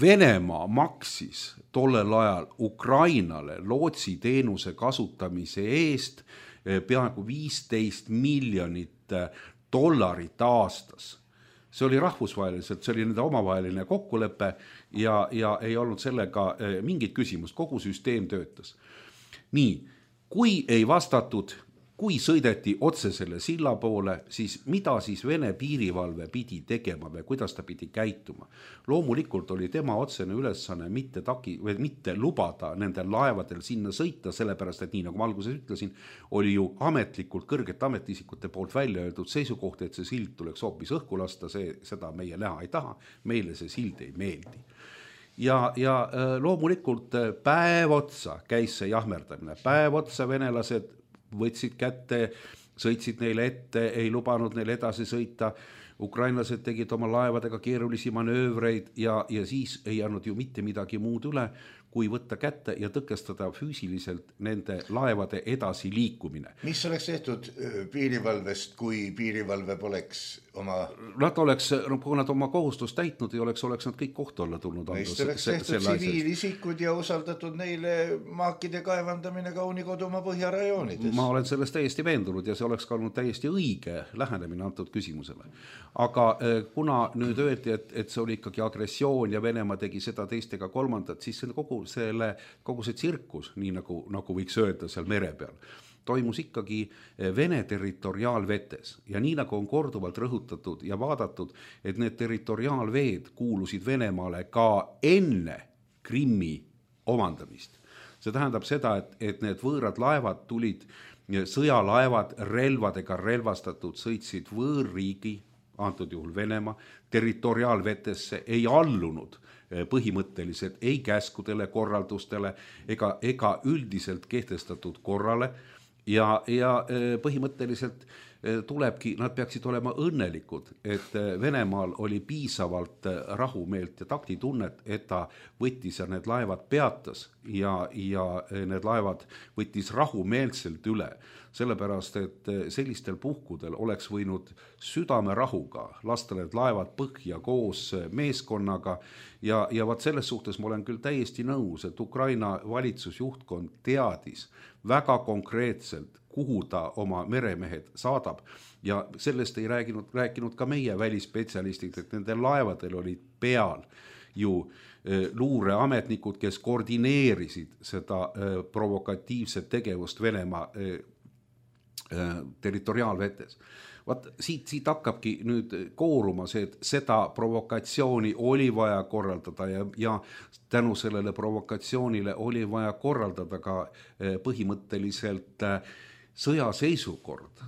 [SPEAKER 4] Venemaa maksis tollel ajal Ukrainale lootsiteenuse kasutamise eest peaaegu $15 miljonit aastas. See oli rahvusvaheliselt, see oli nende omavaheline kokkulepe ja ei olnud sellega mingit küsimust, kogu süsteem töötas. Nii, kui ei vastatud, kui sõideti otse selle silla poole, siis mida siis Vene piirivalve pidi tegema või kuidas ta pidi käituma? Loomulikult oli tema otsene ülesanne mitte lubada nendel laevadel sinna sõita, sellepärast, et nii nagu ma alguses ütlesin, oli ju ametlikult kõrgete ametiisikute poolt välja öeldud seisukoht, et see sild tuleks hoopis õhku lasta, seda meie näha ei taha, meile see sild ei meeldi. Ja loomulikult päev otsa käis see jahmerdamine, päev otsa venelased võtsid kätte, sõitsid neile ette, ei lubanud neile edasi sõita, ukrainlased tegid oma laevadega keerulisi manöövreid ja siis ei andnud ju mitte midagi muud üle, kui võtta kätte ja tõkestada füüsiliselt nende laevade edasi liikumine.
[SPEAKER 3] Mis oleks tehtud piirivalvest, kui piirivalve poleks oma...
[SPEAKER 4] Nad oleks, kui nad oma kohustust täitnud ei oleks nad kõik kohtu alla tulnud.
[SPEAKER 3] Meist oleks tehtud tsiviilisikud ja usaldatud neile maakide kaevandamine kauni kodumaa põhjarajoonides.
[SPEAKER 4] Ma olen sellest täiesti veendunud ja see oleks ka olnud täiesti õige lähenemine antud küsimusele. Aga kuna nüüd öeldi, et see oli ikkagi agressioon ja Venemaa tegi seda teistega kolmandat, siis kogu see tsirkus, nii nagu võiks öelda seal mere peal, toimus ikkagi Vene territoriaalvetes ja nii nagu on korduvalt rõhutatud ja vaadatud, et need territoriaalveed kuulusid Venemaale ka enne Krimmi omandamist. See tähendab seda, et need võõrad laevad tulid, sõjalaevad relvadega relvastatud, sõitsid võõrriigi, antud juhul Venemaa, territoriaalvetesse, ei allunud põhimõtteliselt ei käskudele, korraldustele ega üldiselt kehtestatud korrale ja põhimõtteliselt nad peaksid olema õnnelikud, et Venemaal oli piisavalt rahumeelt ja taktitunnet, et ta võttis ja need laevad peatas ja need laevad võttis rahumeelselt üle. Sellepärast, et sellistel puhkudel oleks võinud südamerahuga lasta need laevad põhja koos meeskonnaga ja vaat selles suhtes ma olen küll täiesti nõus, et Ukraina valitsusjuhtkond teadis väga konkreetselt, kuhu ta oma meremehed saadab ja sellest ei rääkinud ka meie välisspetsialistid, et nendel laevadel olid peal ju luureametnikud, kes koordineerisid seda provokatiivset tegevust Venemaa territoriaalvetes. Vaat siit hakkabki nüüd kooruma see, et seda provokatsiooni oli vaja korraldada ja tänu sellele provokatsioonile oli vaja korraldada ka põhimõtteliselt sõjaseisukord,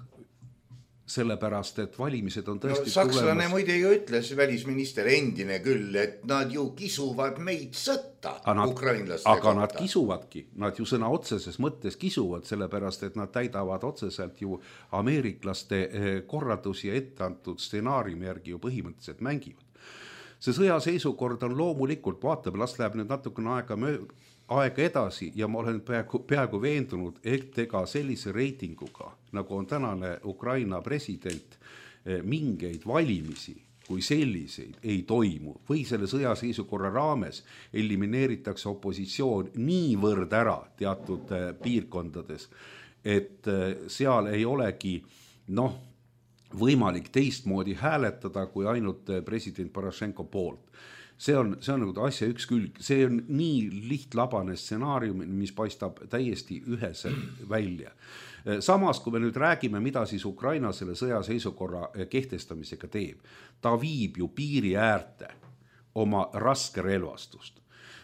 [SPEAKER 4] sellepärast, et valimised on tõesti
[SPEAKER 3] sakslane muide ju ütles, välisminister endine küll, et nad ju kisuvad meid sõtta, ukrainlaste
[SPEAKER 4] aga kohta. Nad kisuvadki, nad ju sõna otseses mõttes kisuvad, sellepärast, et nad täidavad otseselt ju ameeriklaste korraldusi ja etteantud stsenaariumi järgi ju põhimõtteliselt mängivad. See sõjaseisukord on loomulikult, vaatab, las läheb nüüd natukene aega edasi ja ma olen peaaegu veendunud, et ega sellise reitinguga, nagu on tänane Ukraina president, mingeid valimisi kui selliseid ei toimu või selle sõjaseisukorra raames elimineeritakse opositsioon niivõrd ära teatud piirkondades, et seal ei olegi võimalik teistmoodi hääletada kui ainult president Porošenko poolt. See on nagu asja üks külg, see on nii lihtlabane stsenaarium, mis paistab täiesti üheselt välja. Samas, kui me nüüd räägime, mida siis Ukraina selle sõjaseisukorra kehtestamisega teeb, ta viib ju piiri äärte oma raske relvastust.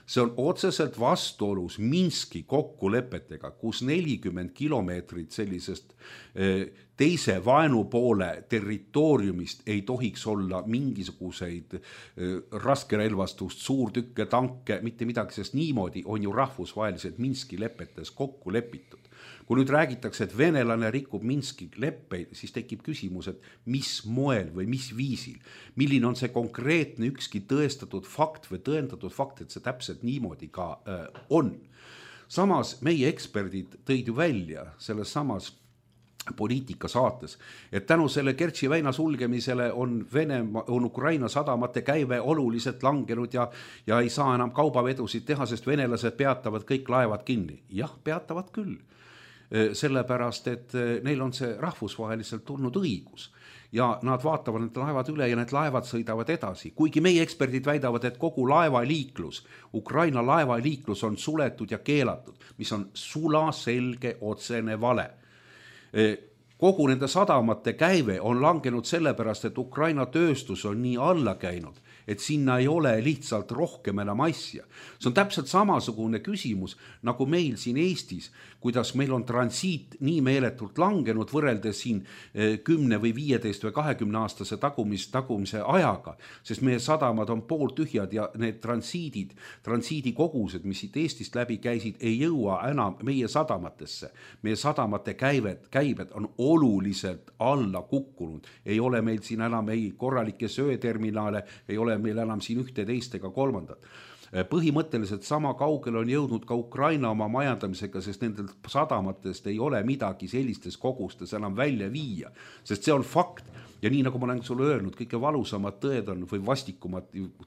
[SPEAKER 4] See on otseselt vastuolus Minski kokkulepetega, kus 40 kilomeetrit sellisest teise vaenupoole territooriumist ei tohiks olla mingisuguseid raskerelvastust, suurtükke, tanke, mitte midagi, sest niimoodi on ju rahvusvaheliselt Minski lepetes kokku lepitud. Kui nüüd räägitakse, et venelane rikub Minski leppeid, siis tekib küsimus, et mis moel või mis viisil, milline on see konkreetne ükski tõestatud fakt või tõendatud fakt, et see täpselt niimoodi ka on. Samas meie eksperdid tõid ju välja selles samas poliitika saates, et tänu selle Kertši väina sulgemisele on Ukraina sadamate käive oluliselt langenud ja ei saa enam kaubavedusid teha, sest venelased peatavad kõik laevad kinni. Jah, peatavad küll. Sellepärast, et neil on see rahvusvaheliselt tulnud õigus ja nad vaatavad need laevad üle ja need laevad sõidavad edasi. Kuigi meie eksperdid väidavad, et kogu laevaliiklus, Ukraina laevaliiklus on suletud ja keelatud, mis on sulaselge otsene vale. Kogu nende sadamate käive on langenud sellepärast, et Ukraina tööstus on nii alla käinud, et sinna ei ole lihtsalt rohkem enam asja. See on täpselt samasugune küsimus, nagu meil siin Eestis, kuidas meil on transiit nii meeletult langenud võrreldes siin 10 või 15 või 20 aastase tagumise ajaga, sest meie sadamad on pooltühjad ja need transiidikogused, mis siit Eestist läbi käisid, ei jõua enam meie sadamatesse. Meie sadamate käibed on oluliselt alla kukkunud. Ei ole meil siin enam ei korralikke sööterminaale, ei ole meil enam siin ühte, teist ega kolmandat. Põhimõtteliselt sama kaugel on jõudnud ka Ukraina oma majandamisega, sest nendel sadamatest ei ole midagi sellistes kogustes enam välja viia, sest see on fakt. Ja nii nagu ma olen sulle öelnud, kõige valusamad tõed on või vastikumad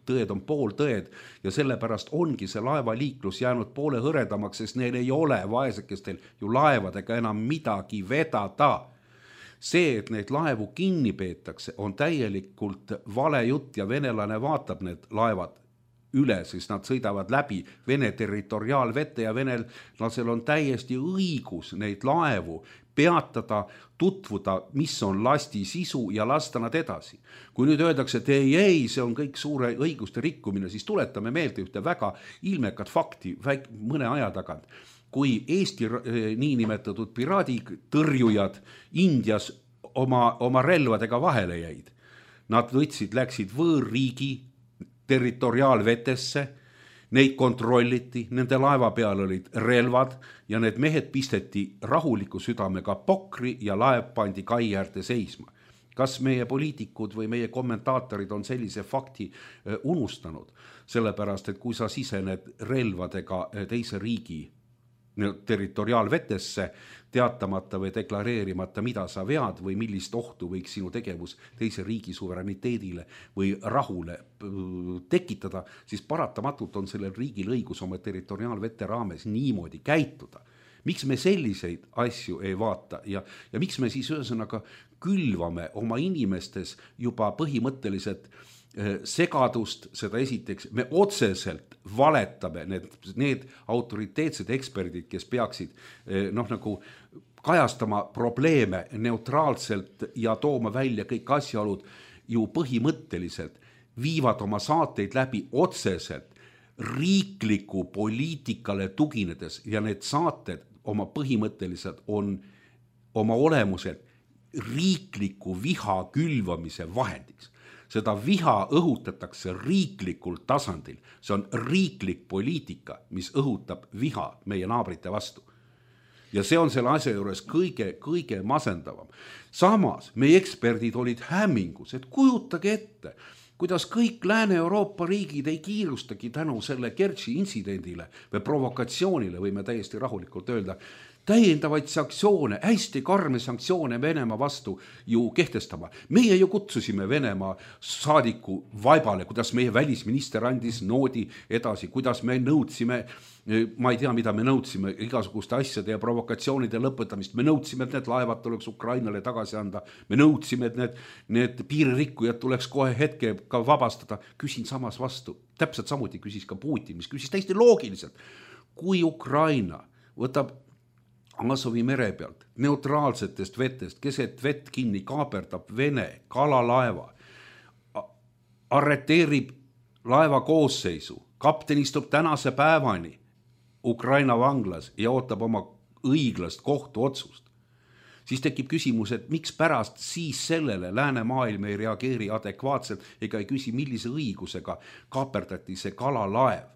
[SPEAKER 4] tõed on pooltõed ja sellepärast ongi see laevaliiklus jäänud poole hõredamaks, sest neil ei ole vaesekestel ju laevadega enam midagi vedada. See, et neid laevu kinni peetakse, on täielikult vale jutt ja venelane vaatab need laevad üle, siis nad sõidavad läbi Vene territoriaalvete ja venelasel on täiesti õigus neid laevu peatada, tutvuda, mis on lasti sisu ja lasta nad edasi. Kui nüüd öeldakse, et ei, see on kõik suure õiguste rikkumine, siis tuletame meelde ühte väga ilmekat fakti mõne aja tagant. Kui Eesti niinimetatud piraaditõrjujad Indias oma relvadega vahele jäid, nad läksid võõrriigi territoriaalvetesse, neid kontrolliti, nende laeva peal olid relvad ja need mehed pisteti rahuliku südamega pokri ja laev pandi kai äärde seisma. Kas meie poliitikud või meie kommentaatorid on sellise fakti unustanud? Sellepärast, et kui sa sisened relvadega teise riigi territoriaalvetesse, teatamata või deklareerimata, mida sa vead või millist ohtu võiks sinu tegevus teise riigi suverääniteedile või rahule tekitada, siis paratamatult on sellel riigil õigus oma territoriaalvete raames niimoodi käituda. Miks me selliseid asju ei vaata ja miks me siis ühesõnaga külvame oma inimestes juba põhimõtteliselt segadust, seda esiteks, me otseselt valetame need autoriteetsed eksperdid, kes peaksid nagu kajastama probleeme neutraalselt ja tooma välja kõik asjaolud, ju põhimõtteliselt viivad oma saateid läbi otseselt riikliku poliitikale tuginedes ja need saated oma põhimõtteliselt on oma olemuselt riikliku viha külvamise vahendiks. Seda viha õhutatakse riiklikul tasandil. See on riiklik poliitika, mis õhutab viha meie naabrite vastu. Ja see on selle asja juures kõige masendavam. Samas meie eksperdid olid hämmingus, et kujutage ette, kuidas kõik Lääne-Euroopa riigid ei kiirustagi tänu selle Kertši intsidendile või provokatsioonile, võime täiesti rahulikult öelda, täiendavaid sanktsioone, hästi karme sanktsioone Venemaa vastu ju kehtestama. Meie ju kutsusime Venemaa saadiku vaibale, kuidas meie välisminister andis noodi edasi, kuidas me nõudsime, ma ei tea, mida me nõudsime, igasuguste asjade ja provokatsioonide lõpetamist. Me nõudsime, et need laevad tuleks Ukrainale tagasi anda. Me nõudsime, et need piiririkkujad tuleks kohe hetkega vabastada. Küsin samas vastu. Täpselt samuti küsis ka Putin, mis küsis täiesti loogiliselt. Kui Ukraina võtab Azovi mere pealt, neutraalsetest vetest, keset vett kinni kaaperdab Vene kalalaeva, arreteerib laeva koosseisu, kapten istub tänase päevani Ukraina vanglas ja ootab oma õiglast kohtuotsust, siis tekib küsimus, et miks pärast siis sellele läänemaailm ei reageeri adekvaatselt ega ei küsi, millise õigusega kaaperdati see kalalaev.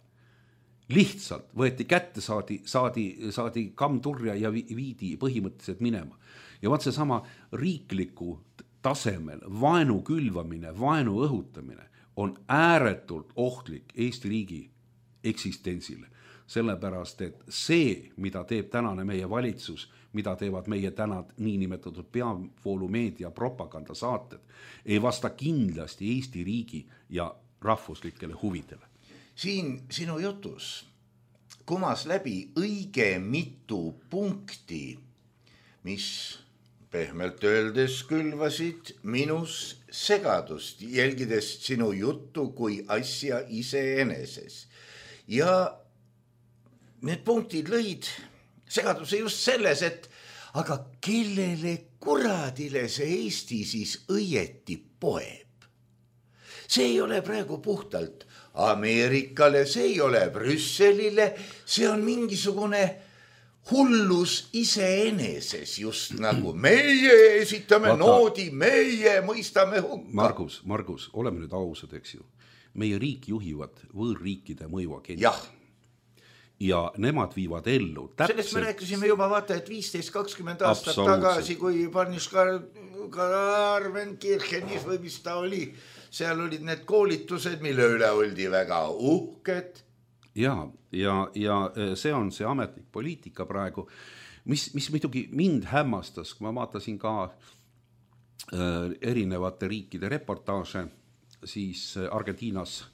[SPEAKER 4] Lihtsalt võeti kätte, saadi kammturja ja viidi põhimõtteliselt minema. Ja vaat see sama riikliku tasemel vaenu külvamine, vaenu õhutamine on ääretult ohtlik Eesti riigi eksistentsile. Sellepärast, et see, mida teeb tänane meie valitsus, mida teevad meie täna niinimetatud peavoolumeedia propagandasaated, ei vasta kindlasti Eesti riigi ja rahvuslikele huvidele.
[SPEAKER 3] Siin sinu jutus kumas läbi õige mitu punkti, mis pehmelt öeldes külvasid minus segadust, jälgides sinu juttu kui asja iseeneses. Ja need punktid lõid segaduse just selles, et aga kellele kuradile see Eesti siis õieti poeb? See ei ole praegu puhtalt Ameerikale, see ei ole Brüsselile, see on mingisugune hullus iseeneses, just nagu meie esitame noodi, meie mõistame hukka.
[SPEAKER 4] Margus, oleme nüüd ausad, eks ju. Meie riik juhivad võõrriikide mõjuagendid.
[SPEAKER 3] Jah.
[SPEAKER 4] Ja nemad viivad ellu täpselt.
[SPEAKER 3] Sellest me rääkisime juba vaata, et 15-20 aastat tagasi, kui Parniškarvenkirchenis või mis ta oli, seal olid need koolitused, mille üle oldi väga uhked.
[SPEAKER 4] Ja see on see ametlik poliitika praegu, mis muidugi mind hämmastas, kui ma vaatasin ka erinevate riikide reportaaže, siis Argentiinas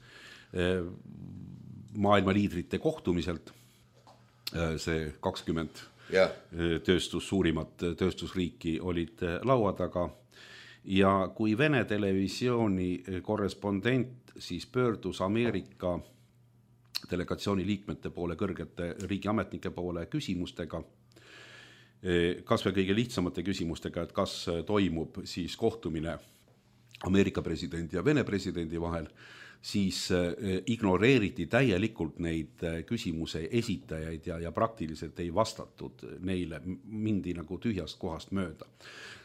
[SPEAKER 4] maailma liidrite kohtumiselt, see 20 suurimat tööstusriiki olid laua taga. Ja kui Vene televisiooni korrespondent siis pöördus Ameerika delegatsiooni liikmete poole, kõrgete riigiametnike poole küsimustega, kas või kõige lihtsamate küsimustega, et kas toimub siis kohtumine Ameerika presidendi ja Vene presidendi vahel, siis ignoreeriti täielikult neid küsimuse esitajaid ja praktiliselt ei vastatud neile, mindi nagu tühjast kohast mööda.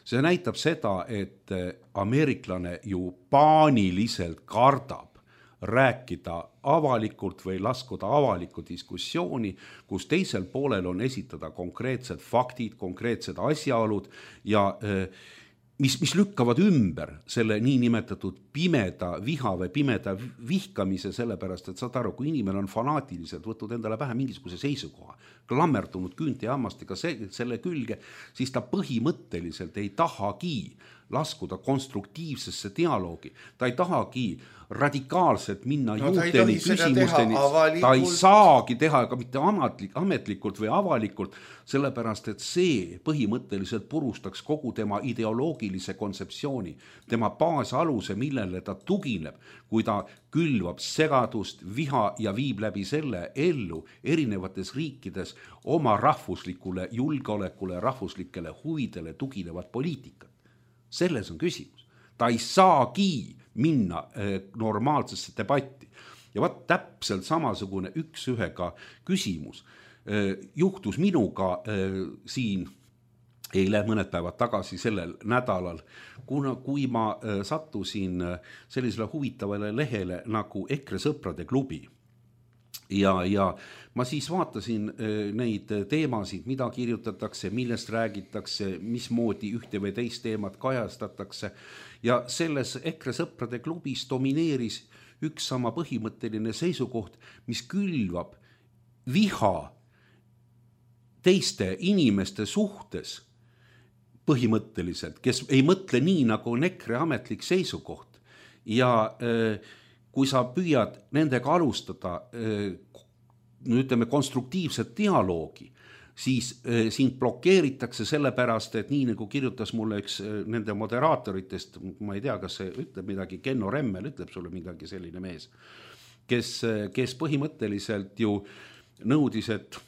[SPEAKER 4] See näitab seda, et ameeriklane ju paaniliselt kardab rääkida avalikult või laskuda avalikku diskussiooni, kus teisel poolel on esitada konkreetsed faktid, konkreetsed asjaolud ja mis lükkavad ümber selle niinimetatud pimeda viha või pimeda vihkamise, sellepärast, et saad aru, kui inimene on fanaatiliselt võtnud endale pähe mingisuguse seisukoha, klammerdunud küünte ja hammastega selle külge, siis ta põhimõtteliselt ei tahagi laskuda konstruktiivsesse dialoogi, ta ei tahagi radikaalselt minna juurteni küsimusteni, ta ei saagi teha ka mitte ametlikult või avalikult, sellepärast et see põhimõtteliselt purustaks kogu tema ideoloogilise kontseptsiooni, tema baasaluse, millele ta tugineb, kui ta külvab segadust, viha ja viib läbi selle ellu erinevates riikides oma rahvuslikule julgeolekule, rahvuslikele huvidele tuginevat poliitikat. Selles on küsimus. Ta ei saagi minna normaalsesse debatti. Ja vaat täpselt samasugune üks-ühega küsimus juhtus minuga siin eile mõned päevad tagasi sellel nädalal, kui ma sattusin sellisele huvitavale lehele nagu EKRE sõprade klubi. Ja ma siis vaatasin neid teemasid, mida kirjutatakse, millest räägitakse, mismoodi ühte või teist teemat kajastatakse ja selles EKRE sõprade klubis domineeris üks sama põhimõtteline seisukoht, mis külvab viha teiste inimeste suhtes põhimõtteliselt, kes ei mõtle nii, nagu on EKRE ametlik seisukoht ja kui sa püüad nendega alustada, ütleme, konstruktiivset dialoogi, siis sind blokeeritakse sellepärast, et nii nagu kirjutas mulle üks nende moderaatoritest, ma ei tea, kas see ütleb midagi, Kenno Remmel ütleb sulle midagi selline mees, kes põhimõtteliselt ju nõudis, et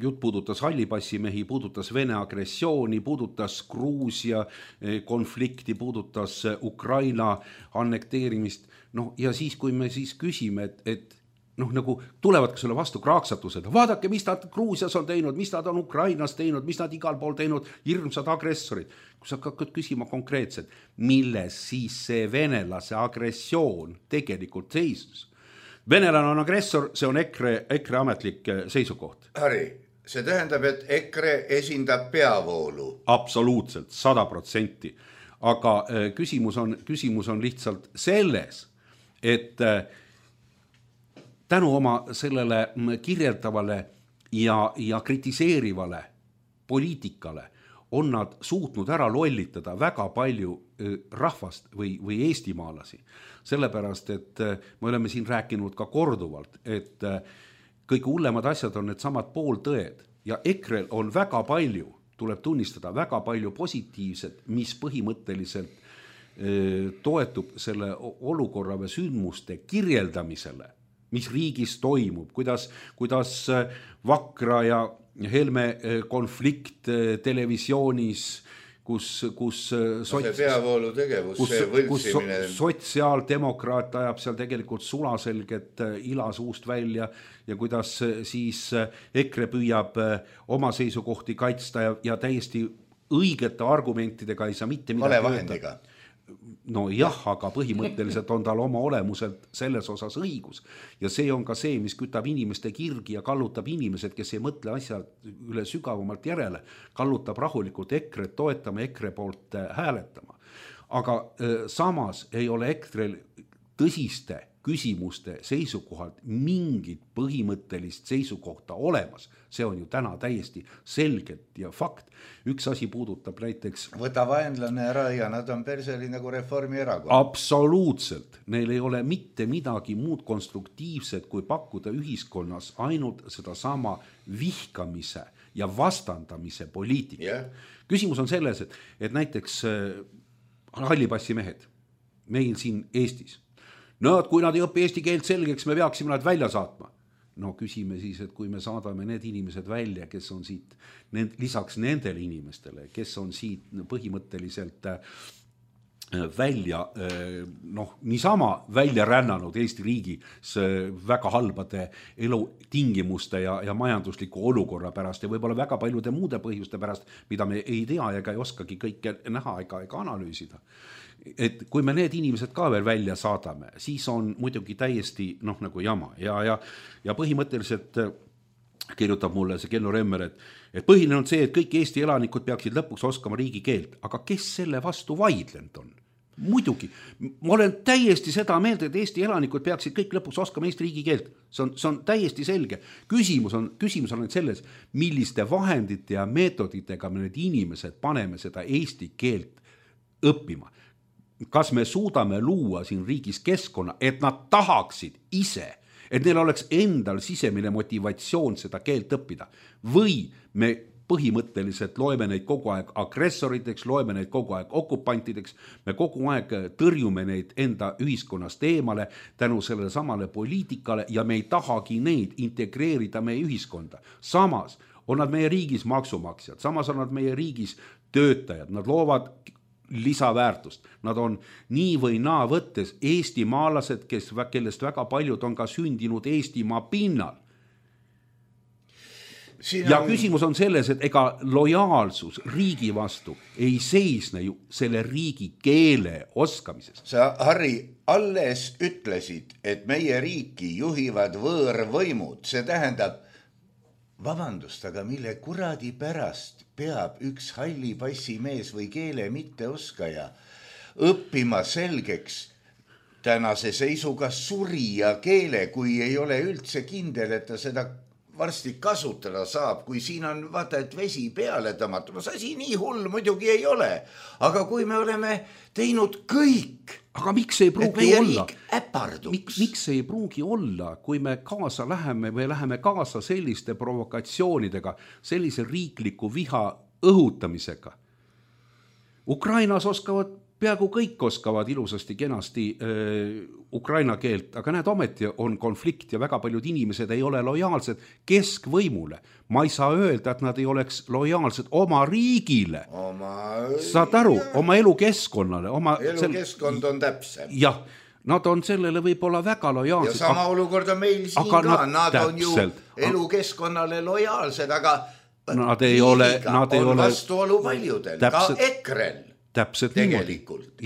[SPEAKER 4] jutt puudutas hallipassimehi, puudutas Vene agressiooni, puudutas Gruusia konflikti, puudutas Ukraina annekteerimist. No, ja siis, kui me siis küsime, et nagu tulevad ka sulle vastu kraaksatused, vaadake, mis nad Gruusias on teinud, mis nad on Ukrainas teinud, mis nad igal pool teinud, hirmsad agressorid. Kui sa hakkad küsima konkreetselt, milles siis see venelase agressioon tegelikult seisus? Venelane on agressor, see on EKRE ametlik seisukoht.
[SPEAKER 3] Harri, see tähendab, et EKRE esindab peavoolu.
[SPEAKER 4] Absoluutselt, 100%. Aga küsimus on lihtsalt selles, et tänu oma sellele kirjeldavale ja kritiseerivale poliitikale on nad suutnud ära lollitada väga palju rahvast või eestimaalasi. Sellepärast, et me oleme siin rääkinud ka korduvalt, et kõige hullemad asjad on need samad pooltõed ja EKRE on väga palju, tuleb tunnistada, väga palju positiivset, mis põhimõtteliselt toetub selle olukorra või sündmuste kirjeldamisele, mis riigis toimub, kuidas Vakra ja Helme konflikt televisioonis, kus
[SPEAKER 3] peavoolu tegevus, see võltsimine.
[SPEAKER 4] Sotsiaaldemokraat ajab seal tegelikult sulaselget ila suust välja ja kuidas siis EKRE püüab oma seisukohti kaitsta ja täiesti õigete argumentidega ei saa mitte midagi
[SPEAKER 3] valevahendiga.
[SPEAKER 4] No jah, aga põhimõtteliselt on tal oma olemuselt selles osas õigus. Ja see on ka see, mis kütab inimeste kirgi ja kallutab inimesed, kes ei mõtle asja üle sügavamalt järele, kallutab rahulikult EKRE toetama, EKRE poolt hääletama. Aga samas ei ole EKRE tõsiste küsimuste seisukohalt mingit põhimõttelist seisukohta olemas. See on ju täna täiesti selgelt ja fakt. Üks asi puudutab näiteks...
[SPEAKER 3] Võta vaenlane ära ja nad on perseli nagu Reformierakond.
[SPEAKER 4] Absoluutselt. Neil ei ole mitte midagi muud konstruktiivset, kui pakkuda ühiskonnas ainult seda sama vihkamise ja vastandamise poliitika. Yeah. Küsimus on selles, et näiteks hallipassimehed meil siin Eestis. No, kui nad ei õpi eesti keelt selgeks, me peaksime nad välja saatma. no küsime siis, et kui me saadame need inimesed välja, kes on siit, lisaks nendele inimestele, kes on siit põhimõtteliselt välja, niisama välja rännanud Eesti riigis väga halbade elutingimuste ja majandusliku olukorra pärast ja võib-olla väga paljude muude põhjuste pärast, mida me ei tea ega ei oskagi kõike näha ega analüüsida. Et kui me need inimesed ka veel välja saadame, siis on muidugi täiesti nagu jama ja põhimõtteliselt kirjutab mulle see Kenno Remmer, et põhiline on see, et kõik Eesti elanikud peaksid lõpuks oskama riigikeelt, aga kes selle vastu vaidlenud on? Muidugi, ma olen täiesti seda meelt, et Eesti elanikud peaksid kõik lõpuks oskama Eesti riigikeelt, see on täiesti selge. Küsimus on selles, milliste vahendite ja meetoditega me need inimesed paneme seda eesti keelt õppima. Kas me suudame luua siin riigis keskkonna, et nad tahaksid ise, et neil oleks endal sisemine motivatsioon seda keelt õppida või me põhimõtteliselt loeme neid kogu aeg agressoriteks, loeme neid kogu aeg okupantideks, me kogu aeg tõrjume neid enda ühiskonnast eemale tänu sellele samale poliitikale ja me ei tahagi neid integreerida meie ühiskonda. Samas on nad meie riigis maksumaksjad, samas on nad meie riigis töötajad, nad loovad lisaväärtust. Nad on nii või naa võttes eestimaalased, kellest väga paljud on ka sündinud Eestimaa pinnal. Ja küsimus on selles, et ega lojaalsus riigi vastu ei seisne ju selle riigi keele oskamises.
[SPEAKER 3] Sa, Harri, alles ütlesid, et meie riiki juhivad võõrvõimud. See tähendab, vabandust, aga mille kuradi pärast peab üks halli passi mees või keele mitteoskaja õppima selgeks tänase seisuga surija keele, kui ei ole üldse kindel, et ta seda varsti kasutada saab, kui siin on vaata, et vesi peale tõmmata. No see asi nii hull muidugi ei ole, aga kui me oleme teinud kõik,
[SPEAKER 4] aga miks ei pruugi olla?
[SPEAKER 3] Miks
[SPEAKER 4] ei pruugi olla, kui me kaasa läheme või läheme kaasa selliste provokatsioonidega, sellise riikliku viha õhutamisega? Ukrainas peaaegu kõik oskavad ilusasti kenasti ukraina keelt, aga näed, ometi on konflikt ja väga paljud inimesed ei ole lojaalsed keskvõimule. Ma ei saa öelda, et nad ei oleks lojaalsed oma riigile. Saad aru, oma elukeskkonnale.
[SPEAKER 3] Elukeskkond on täpsem.
[SPEAKER 4] Jah, nad on sellele võib-olla väga lojaalsed.
[SPEAKER 3] Ja sama olukord on meil siin ka. Nad on ju elukeskkonnale lojaalsed, aga
[SPEAKER 4] nad ei ole
[SPEAKER 3] vastuolu paljudel, ka EKRE-l.
[SPEAKER 4] Täpselt
[SPEAKER 3] tegelikult,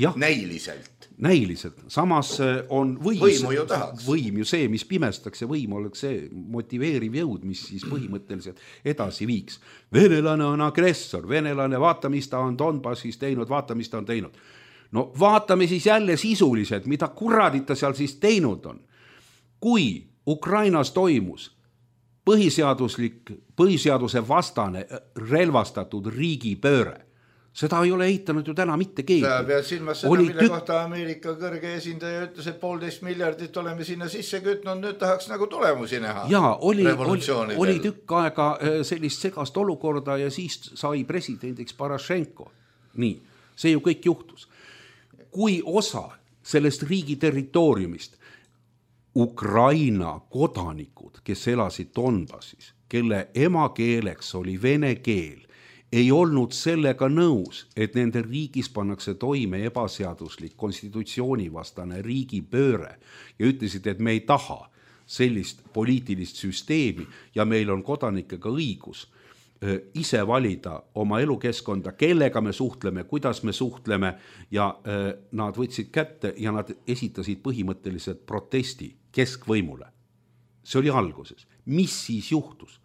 [SPEAKER 4] näiliselt. Samas on võim ju see, mis pimestaks ja võim oleks see motiveeriv jõud, mis siis põhimõtteliselt edasi viiks. Venelane on agressor, venelane vaata, mis ta on Donbassis teinud, vaata, mis ta on teinud. No vaatame siis jälle sisuliselt, mida kuradit ta seal siis teinud on. Kui Ukrainas toimus põhiseaduse vastane relvastatud riigipööre, seda ei ole eitanud ju täna mitte keegi.
[SPEAKER 3] Sa pead silmas seda, mille kohta Ameerika kõrge esindaja ütles, et 1,5 miljardit oleme sinna sisse kütnud, nüüd tahaks nagu tulemusi näha.
[SPEAKER 4] Jaa, oli tükk aega sellist segast olukorda ja siis sai presidendiks Poroshenko. Nii, see ju kõik juhtus. Kui osa sellest riigi territooriumist Ukraina kodanikud, kes elasid Donbassis, kelle emakeeleks oli vene keel, ei olnud sellega nõus, et nende riigis pannakse toime ebaseaduslik konstitutsioonivastane riigipööre ja ütlesid, et me ei taha sellist poliitilist süsteemi ja meil on kodanikega õigus ise valida oma elukeskkonda, kellega me suhtleme, kuidas me suhtleme ja nad võtsid kätte ja nad esitasid põhimõtteliselt protesti keskvõimule. See oli alguses. Mis siis juhtus?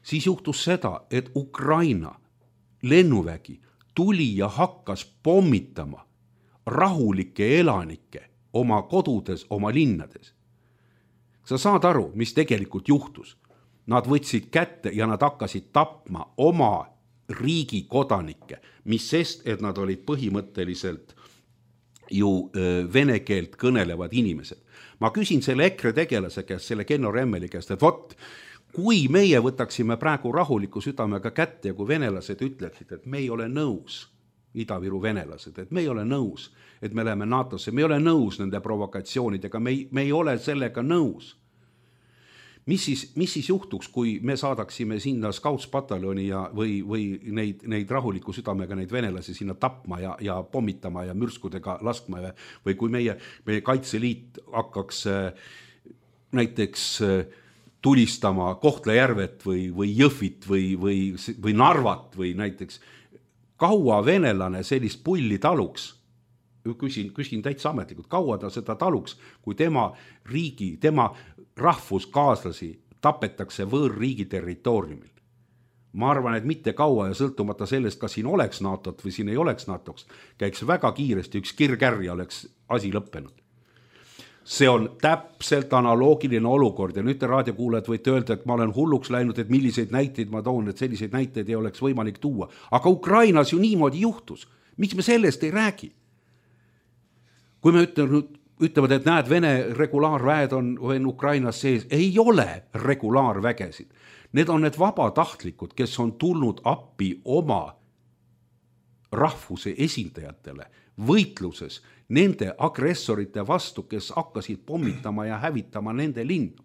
[SPEAKER 4] Siis juhtus seda, et Ukraina lennuvägi tuli ja hakkas pommitama rahulikke elanikke oma kodudes, oma linnades. Sa saad aru, mis tegelikult juhtus? Nad võtsid kätte ja nad hakkasid tapma oma riigi kodanikke, mis sest, et nad olid põhimõtteliselt ju vene keelt kõnelevad inimesed. Ma küsin selle EKRE tegelase käest, selle Kenno Remmeli käest, et vot, kui meie võtaksime praegu rahuliku südamega kätte ja kui venelased ütleksid, et me ei ole nõus, Ida-Viru venelased, et me ei ole nõus, et me läheme NATO-sse, me ei ole nõus nende provokatsioonidega, me ei ole sellega nõus. mis siis juhtuks, kui me saadaksime sinna Scouts-pataljoni või neid rahuliku südamega neid venelasi sinna tapma ja pommitama ja mürskudega laskma või kui meie Kaitseliit hakkaks näiteks tulistama Kohtla-Järvet või Jõhvit või Narvat või näiteks, kaua venelane sellist pulli taluks, küsin täitsa ametlikult, kaua ta seda taluks, kui tema rahvuskaaslasi tapetakse võõrriigi territooriumil. Ma arvan, et mitte kaua ja sõltumata sellest, kas siin oleks NATO-t või siin ei oleks NATO-ks, käiks väga kiiresti üks kirkärr ja oleks asi lõppenud. See on täpselt analoogiline olukord ja nüüd te raadiokuulajad võite öelda, et ma olen hulluks läinud, et milliseid näiteid ma toon, et selliseid näiteid ei oleks võimalik tuua. Aga Ukrainas ju niimoodi juhtus. Miks me sellest ei räägi? Kui me ütlevad, et näed, Vene regulaarväed on Ukrainas sees, ei ole regulaarvägesid. Need on need vabatahtlikud, kes on tulnud appi oma rahvuse esindajatele võitluses nende agressorite vastu, kes hakkasid pommitama ja hävitama nende linnu.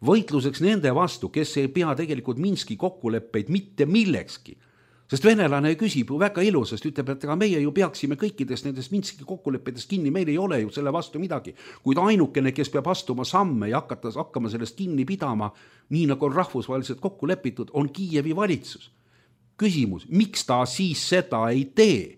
[SPEAKER 4] Võitluseks nende vastu, kes ei pea tegelikult Minski kokkuleppeid mitte millekski. Sest venelane küsib ju väga ilusast, ütleb, et meie ju peaksime kõikidest nendest Minski kokkuleppedest kinni, meil ei ole ju selle vastu midagi. Kuid ainukene, kes peab astuma samme ja hakkama sellest kinni pidama, nii nagu on rahvusvaheliselt kokku lepitud, on Kiievi valitsus. Küsimus, miks ta siis seda ei tee?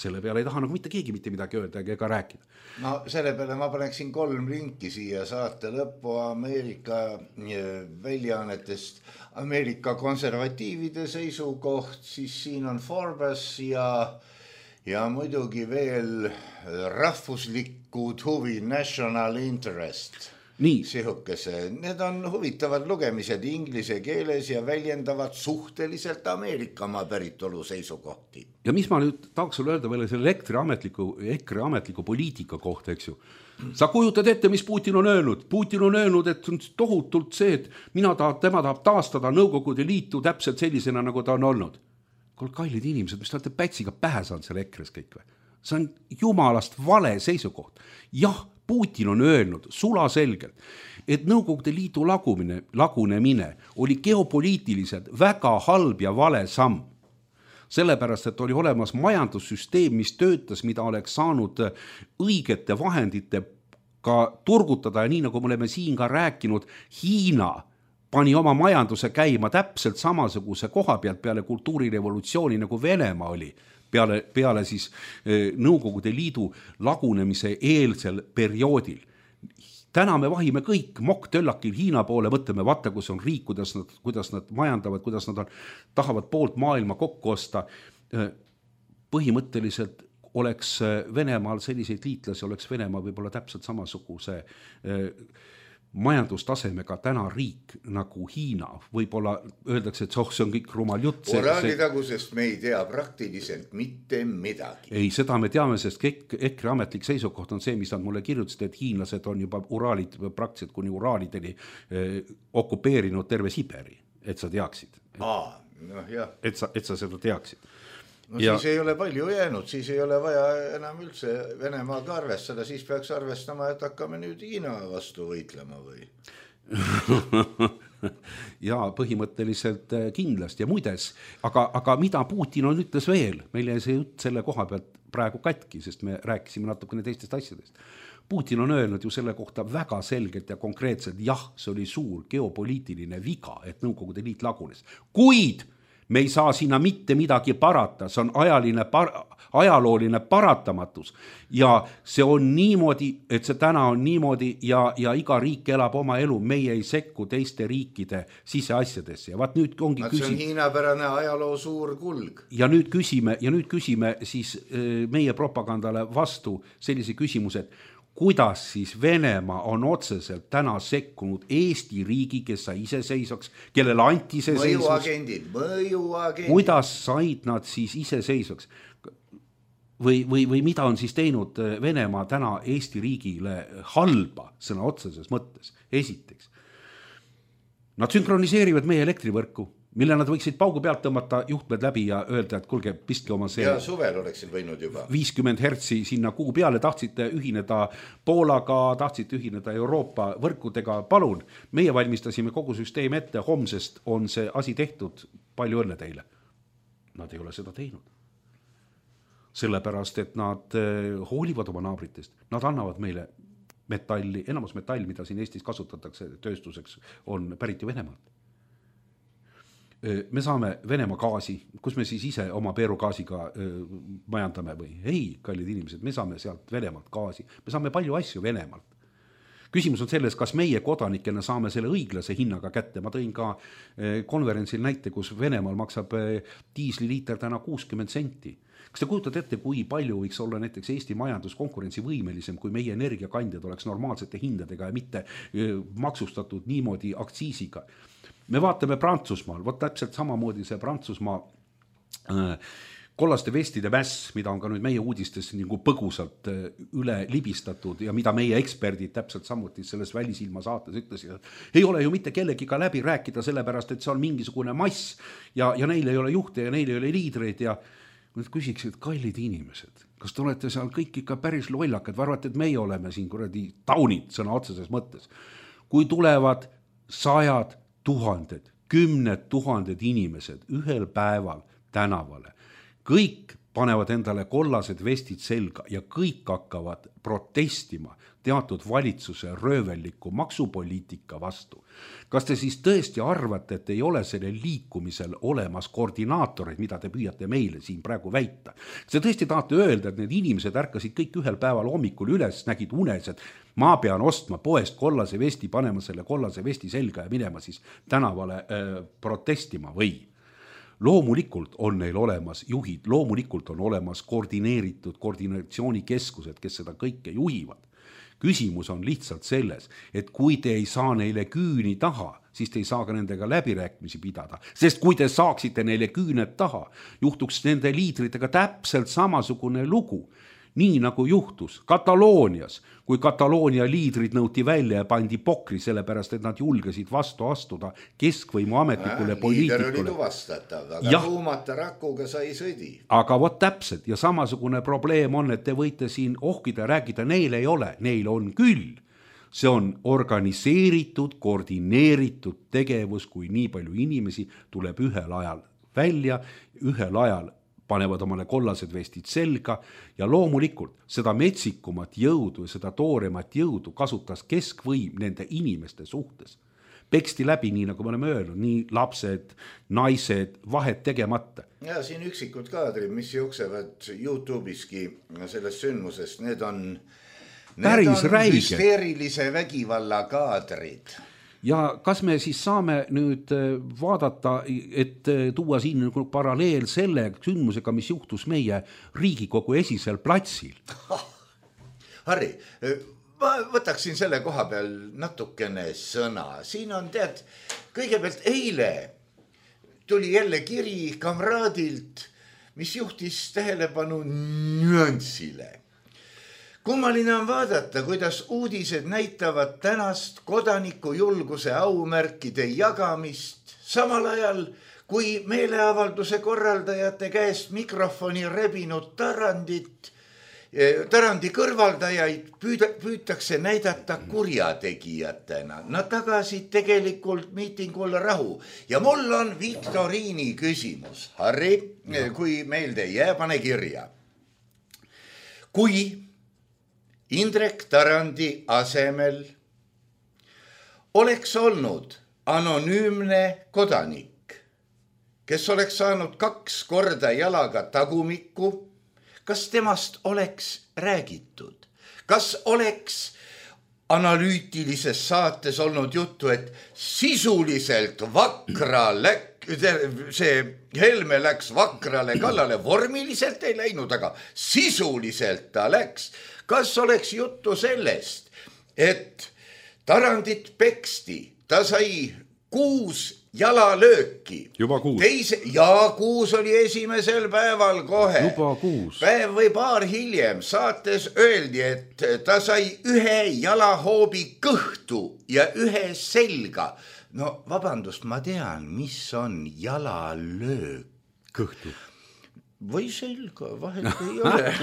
[SPEAKER 4] Selle peale ei taha nagu mitte keegi mitte midagi öelda ega rääkida.
[SPEAKER 3] No selle peale ma paneksin 3 linki siia saate lõppu Ameerika väljaannetest. Ameerika konservatiivide seisukoht, siis siin on Forbes ja muidugi veel rahvuslikud huvi, national interest.
[SPEAKER 4] Nii.
[SPEAKER 3] Sihukese. Need on huvitavad lugemised inglise keeles ja väljendavad suhteliselt Ameerikamaa päritolu seisukohti.
[SPEAKER 4] Ja mis ma nüüd tahaks sulle öelda veel selle EKRE ametliku poliitika kohta, eks ju. Sa kujutad ette, mis Putin on öelnud. Putin on öelnud, et on tohutult see, et tema tahab taastada Nõukogude Liitu täpselt sellisena, nagu ta on olnud. Kallid inimesed, mis te olete pätsiga pähe saanud selle EKRE-s kõik või? See on jumalast vale seisukoht. Jah, Putin on öelnud sulaselgelt, et Nõukogude Liidu lagunemine oli geopoliitiliselt väga halb ja vale samm. Sellepärast, et oli olemas majandussüsteem, mis töötas, mida oleks saanud õigete vahendite ka turgutada ja nii nagu me oleme siin ka rääkinud, Hiina pani oma majanduse käima täpselt samasuguse koha pealt peale kultuurirevolutsiooni nagu Venemaa oli. Peale siis Nõukogude Liidu lagunemise eelsel perioodil. Täna me vahime kõik mokktöllakil Hiina poole, mõtleme, vaata, kus on riik, kuidas nad majandavad, kuidas nad tahavad poolt maailma kokku osta. Põhimõtteliselt oleks Venemaal selliseid liitlasi, oleks Venemaa võib-olla täpselt samasuguse majandustasemega täna riik nagu Hiina. Võib-olla öeldakse, et see on kõik rumal jutt.
[SPEAKER 3] Oraalitagusest me ei tea praktiliselt mitte midagi.
[SPEAKER 4] Ei, seda me teame, sest EKRE ametlik seisukoht on see, mis nad mulle kirjutasid, et hiinlased on juba uraalid praktiliselt kuni uraalideni okupeerinud terve Siberi, et sa teaksid. Et sa seda teaksid.
[SPEAKER 3] No siis ei ole palju jäänud, siis ei ole vaja enam üldse Venemaaga arvestada, siis peaks arvestama, et hakkame nüüd Hiina vastu võitlema või?
[SPEAKER 4] Ja põhimõtteliselt kindlasti ja muides, aga mida Putin on ütles veel, meil jäi see jutt selle koha pealt praegu katki, sest me rääkisime natukene teistest asjadest. Putin on öelnud ju selle kohta väga selgelt ja konkreetselt, jah, see oli suur geopoliitiline viga, et Nõukogude Liit lagunes, kuid me ei saa sinna mitte midagi parata, see on ajalooline paratamatus ja see on niimoodi, et see täna on niimoodi ja iga riik elab oma elu, meie ei sekku teiste riikide siseasjadesse ja vaat nüüd ongi
[SPEAKER 3] see on hiinapärane ajaloo suur kulg.
[SPEAKER 4] Ja nüüd küsime siis meie propagandale vastu sellise küsimuse, et kuidas siis Venemaa on otseselt täna sekkunud Eesti riigi, kes sai iseseisvaks, kellele anti iseseisvaks.
[SPEAKER 3] Mõjuagendid.
[SPEAKER 4] Kuidas said nad siis iseseisvaks? Või mida on siis teinud Venemaa täna Eesti riigile halba sõna otseses mõttes? Esiteks, nad sünkroniseerivad meie elektrivõrku. mille nad võiksid paugu pealt tõmmata juhtmed läbi ja öelda, et kuulge, pistke oma see
[SPEAKER 3] ja suvel oleksid võinud juba
[SPEAKER 4] 50 hertsi sinna kuu peale, tahtsite ühineda Poolaga, tahtsite ühineda Euroopa võrkudega, palun, meie valmistasime kogu süsteem ette, homsest on see asi tehtud, palju õnne teile. Nad ei ole seda teinud. Sellepärast, et nad hoolivad oma naabritest, nad annavad meile metalli, enamus metall, mida siin Eestis kasutatakse tööstuseks, on pärit ju Venemaalt. Me saame Venemaa gaasi, kus me siis ise oma peerugaasiga majandame või? Ei, kallid inimesed, me saame sealt Venemaalt gaasi, me saame palju asju Venemaalt. Küsimus on selles, kas meie kodanikena saame selle õiglase hinnaga kätte. Ma tõin ka konverentsil näite, kus Venemaal maksab diisliliiter täna 60 senti. Kas te kujutad ette, kui palju võiks olla näiteks Eesti majandus konkurentsivõimelisem, kui meie energiakandjad oleks normaalsete hindadega ja mitte maksustatud niimoodi aktsiisiga? Me vaatame Prantsusmaal, võt täpselt samamoodi see Prantsusmaa kollaste vestide mäss, mida on ka nüüd meie uudistes nagu põgusalt üle libistatud ja mida meie eksperdid täpselt samuti selles Välisilma saates ütlesid, et ei ole ju mitte kellegiga läbi rääkida, sellepärast et see on mingisugune mass ja neil ei ole juhte ja neil ei ole liidreid ja nüüd küsiksid, kallid inimesed, kas te olete seal kõik ikka päris lollakad, arvate, et meie oleme siin kuradi taunid sõna otseses mõttes. Kui tulevad 100 000, 10 000 inimesed ühel päeval tänavale, kõik panevad endale kollased vestid selga ja kõik hakkavad protestima teatud valitsuse röövelliku maksupoliitika vastu. Kas te siis tõesti arvate, et ei ole selle liikumisel olemas koordinaatoreid, mida te püüate meile siin praegu väita? Kas te tõesti tahate öelda, et need inimesed ärkasid kõik ühel päeval hommikul üles, nägid unes, et ma pean ostma poest kollase vesti, panema selle kollase vesti selga ja minema siis tänavale protestima või? Loomulikult on neil olemas juhid, loomulikult on olemas koordineeritud koordinatsioonikeskused, kes seda kõike juhivad. Küsimus on lihtsalt selles, et kui te ei saa neile küüni taha, siis te ei saa ka nendega läbirääkimisi pidada. Sest kui te saaksite neile küüned taha, juhtuks nende liidritega täpselt samasugune lugu. Nii nagu juhtus Kataloonias, kui Kataloonia liidrid nõuti välja ja pandi pokri, sellepärast, et nad julgesid vastu astuda keskvõimu ametnikule poliitikule.
[SPEAKER 3] Liider oli tuvastatav, aga tuumata rakuga sai sõdi.
[SPEAKER 4] Aga vot täpselt ja samasugune probleem on, et te võite siin ohkida ja rääkida, neil ei ole, neil on küll. See on organiseeritud, koordineeritud tegevus, kui nii palju inimesi tuleb ühel ajal välja, ühel ajal panevad omale kollased vestid selga ja loomulikult seda metsikumat jõudu ja seda tooremat jõudu kasutas keskvõim nende inimeste suhtes. Peksti läbi, nii nagu me oleme öelnud, nii lapsed, naised, vahet tegemata.
[SPEAKER 3] Ja siin üksikud kaadrid, mis jooksevad YouTube'iski sellest sündmusest, need on hüsteerilise vägivalla kaadrid.
[SPEAKER 4] Ja kas me siis saame nüüd vaadata, et tuua siin paralleel selle sündmusega, mis juhtus meie Riigikogu esisel platsil?
[SPEAKER 3] Harri, ma võtaksin selle koha peal natukene sõna. Siin on kõigepealt eile tuli jälle kiri kamraadilt, mis juhtis tähelepanu nüansile. Kummaline on vaadata, kuidas uudised näitavad tänast kodanikujulguse aumärkide jagamist, samal ajal kui meeleavalduse korraldajate käest mikrofoni rebinud Tarandi kõrvaldajaid püütakse näidata kurjategijatena. Nad tagasid tegelikult miitingul rahu. Ja mul on viktoriini küsimus. Harri, kui meelde ei jää, pane kirja. Kui Indrek Tarandi asemel oleks olnud anonüümne kodanik, kes oleks saanud 2 korda jalaga tagumikku, kas temast oleks räägitud? Kas oleks analüütilises saates olnud juttu, et sisuliselt see Helme läks vakrale kallale, vormiliselt ei läinud, aga sisuliselt ta läks. Kas oleks juttu sellest, et Tarandit peksti, ta sai 6 jalalööki.
[SPEAKER 4] Juba 6.
[SPEAKER 3] 6 oli esimesel päeval kohe.
[SPEAKER 4] Juba 6.
[SPEAKER 3] Päev või paar hiljem saates öeldi, et ta sai 1 jalahoobi kõhtu ja 1 selga. no vabandust, ma tean, mis on jalalöök.
[SPEAKER 4] Kõhtu.
[SPEAKER 3] Või selga, vahet ei ole.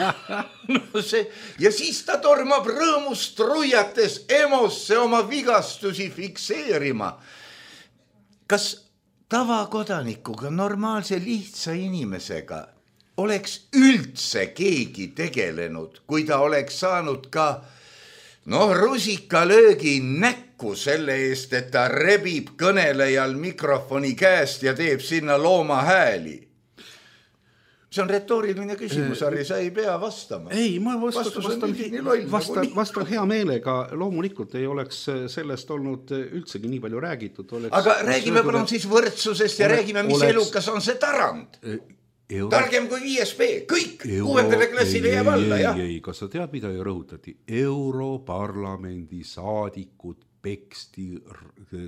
[SPEAKER 3] No see, ja siis ta tormab rõõmust ruiates emosse oma vigastusi fikseerima. Kas tavakodanikuga, normaalse lihtsa inimesega oleks üldse keegi tegelenud, kui ta oleks saanud ka rusikalöögi näkku selle eest, et ta rebib kõnelejal mikrofoni käest ja teeb sinna looma hääli? See on retooriline küsimus, Harri, sa ei pea vastama.
[SPEAKER 4] Ei, ma vastan hea meelega. Loomulikult ei oleks sellest olnud üldsegi nii palju räägitud.
[SPEAKER 3] Aga räägime palun siis võrdsusest ja räägime, mis elukas on see Tarand. Targem kui 5B, kõik 6. klassile jääb alla, jah?
[SPEAKER 4] Ei, kas sa tead, mida ju rõhutati? Europarlamendi saadikud peksti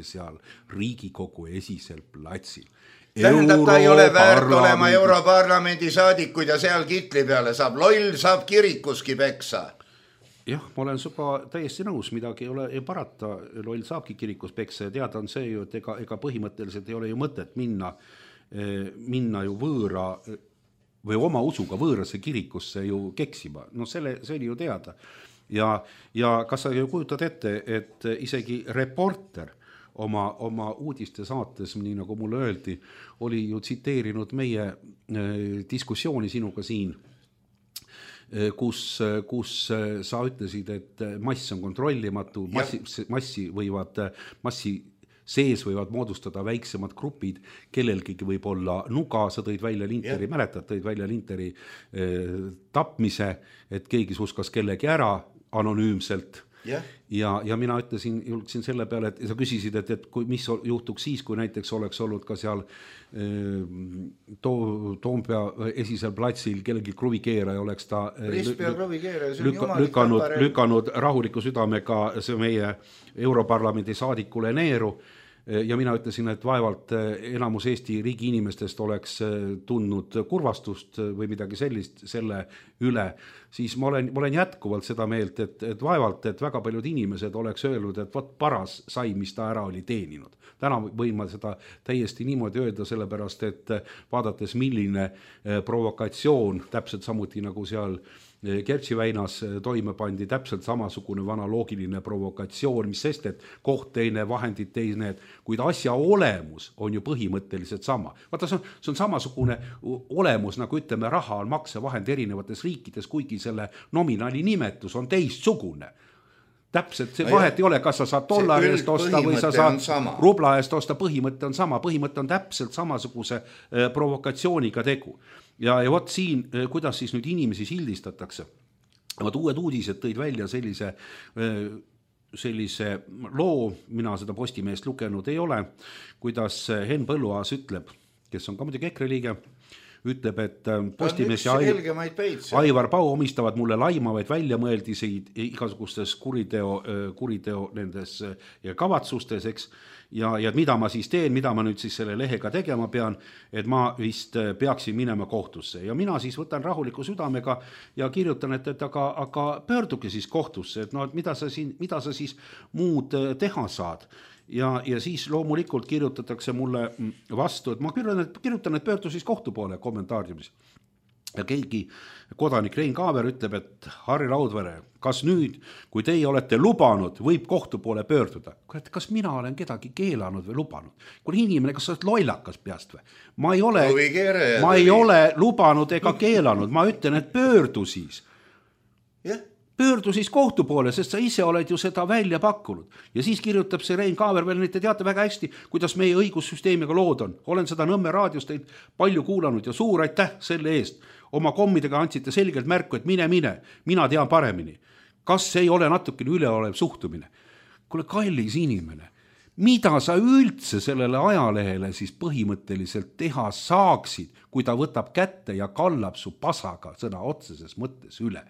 [SPEAKER 4] seal Riigikogu esisel platsil.
[SPEAKER 3] Tähendab, ta ei ole väärt olema Europarlamendi saadikud ja seal kitli peale saab. Loll saab kirikuski peksa.
[SPEAKER 4] Jah, ma olen suga täiesti nõus, midagi ei ole parata. Loll saabki kirikus peksa ja teada on see ju, et ega põhimõtteliselt ei ole ju mõtet minna ju võõra või oma usuga võõrasse kirikusse ju keksima. No see oli ju teada. Ja kas sa ju kujutad ette, et isegi reporter oma uudiste saates, nii nagu mulle öeldi, oli ju tsiteerinud meie diskussiooni sinuga siin, kus sa ütlesid, et mass on kontrollimatu, massi sees võivad moodustada väiksemad grupid, kellelgi võib olla nuga, sa tõid välja Linteri, mäletad, tõid välja Linteri tapmise, et keegi suskas kellegi ära anonüümselt. Ja mina julgsin selle peale, et sa küsisid, et mis juhtuks siis, kui näiteks oleks olnud ka seal Toompea esisel platsil kellegi kruvikeeraja oleks ta lükanud rahuliku südamega see meie Europarlamendi saadikule neeru. Ja mina ütlesin, et vaevalt enamus Eesti riigi inimestest oleks tundnud kurvastust või midagi sellist selle üle, siis ma olen jätkuvalt seda meelt, et vaevalt, et väga paljud inimesed oleks öelnud, et võt paras sai, mis ta ära oli teeninud. Täna võin ma seda täiesti niimoodi öelda, sellepärast, et vaadates milline provokatsioon, täpselt samuti nagu seal Kertši väinas toime pandi täpselt samasugune analoogiline provokatsioon, mis sest, et koht teine, vahendid teine, kuid asja olemus on ju põhimõtteliselt sama. Vaata, see on samasugune olemus, nagu ütleme, raha on maksevahend erinevates riikides, kuigi selle nominaali nimetus on teistsugune. Täpselt see vahet ei ole, kas sa saad dollari eest osta või sa saad rubla eest osta, põhimõte on sama, põhimõte on täpselt samasuguse provokatsiooniga tegu. Ja võt siin, kuidas siis nüüd inimesi sildistatakse. Uued uudised tõid välja sellise loo, mina seda Postimeest lugenud ei ole, kuidas Henn Põlluaas ütleb, kes on ka muidugi EKRE liige, ütleb, et Postimees ja Aivar Pau omistavad mulle laimavaid väljamõeldiseid igasugustes kuriteo nendes kavatsustes, eks, ja mida ma siis teen, mida ma nüüd siis selle lehega tegema pean, et ma vist peaksin minema kohtusse. Ja mina siis võtan rahuliku südamega ja kirjutan, et aga pöörduge siis kohtusse, et mida sa siis muud teha saad. Ja siis loomulikult kirjutatakse mulle vastu, et ma kirjutan, et pöördu siis kohtu poole kommentaariumis. Ja keegi kodanik Rein Kaaver ütleb, et Harri Raudvere, kas nüüd, kui teie olete lubanud, võib kohtu poole pöörduda? Kas mina olen kedagi keelanud või lubanud? Kui inimene, kas sa oled lollakas peast või? Ma ei ole lubanud ega keelanud, ma ütlen, et pöördu siis. Pöördu siis kohtu poole, sest sa ise oled ju seda välja pakkunud. Ja siis kirjutab see Rein Kaaver veel, te teate väga hästi, kuidas meie õigussüsteemiga lood on. Olen seda Nõmme raadios teid palju kuulanud ja suur aitäh selle eest. Oma kommidega andsite selgelt märku, et mine, mina tean paremini. Kas see ei ole natukene üleolev suhtumine? Kuule, kallis inimene, mida sa üldse sellele ajalehele siis põhimõtteliselt teha saaksid, kui ta võtab kätte ja kallab su pasaga sõna otseses mõttes üle?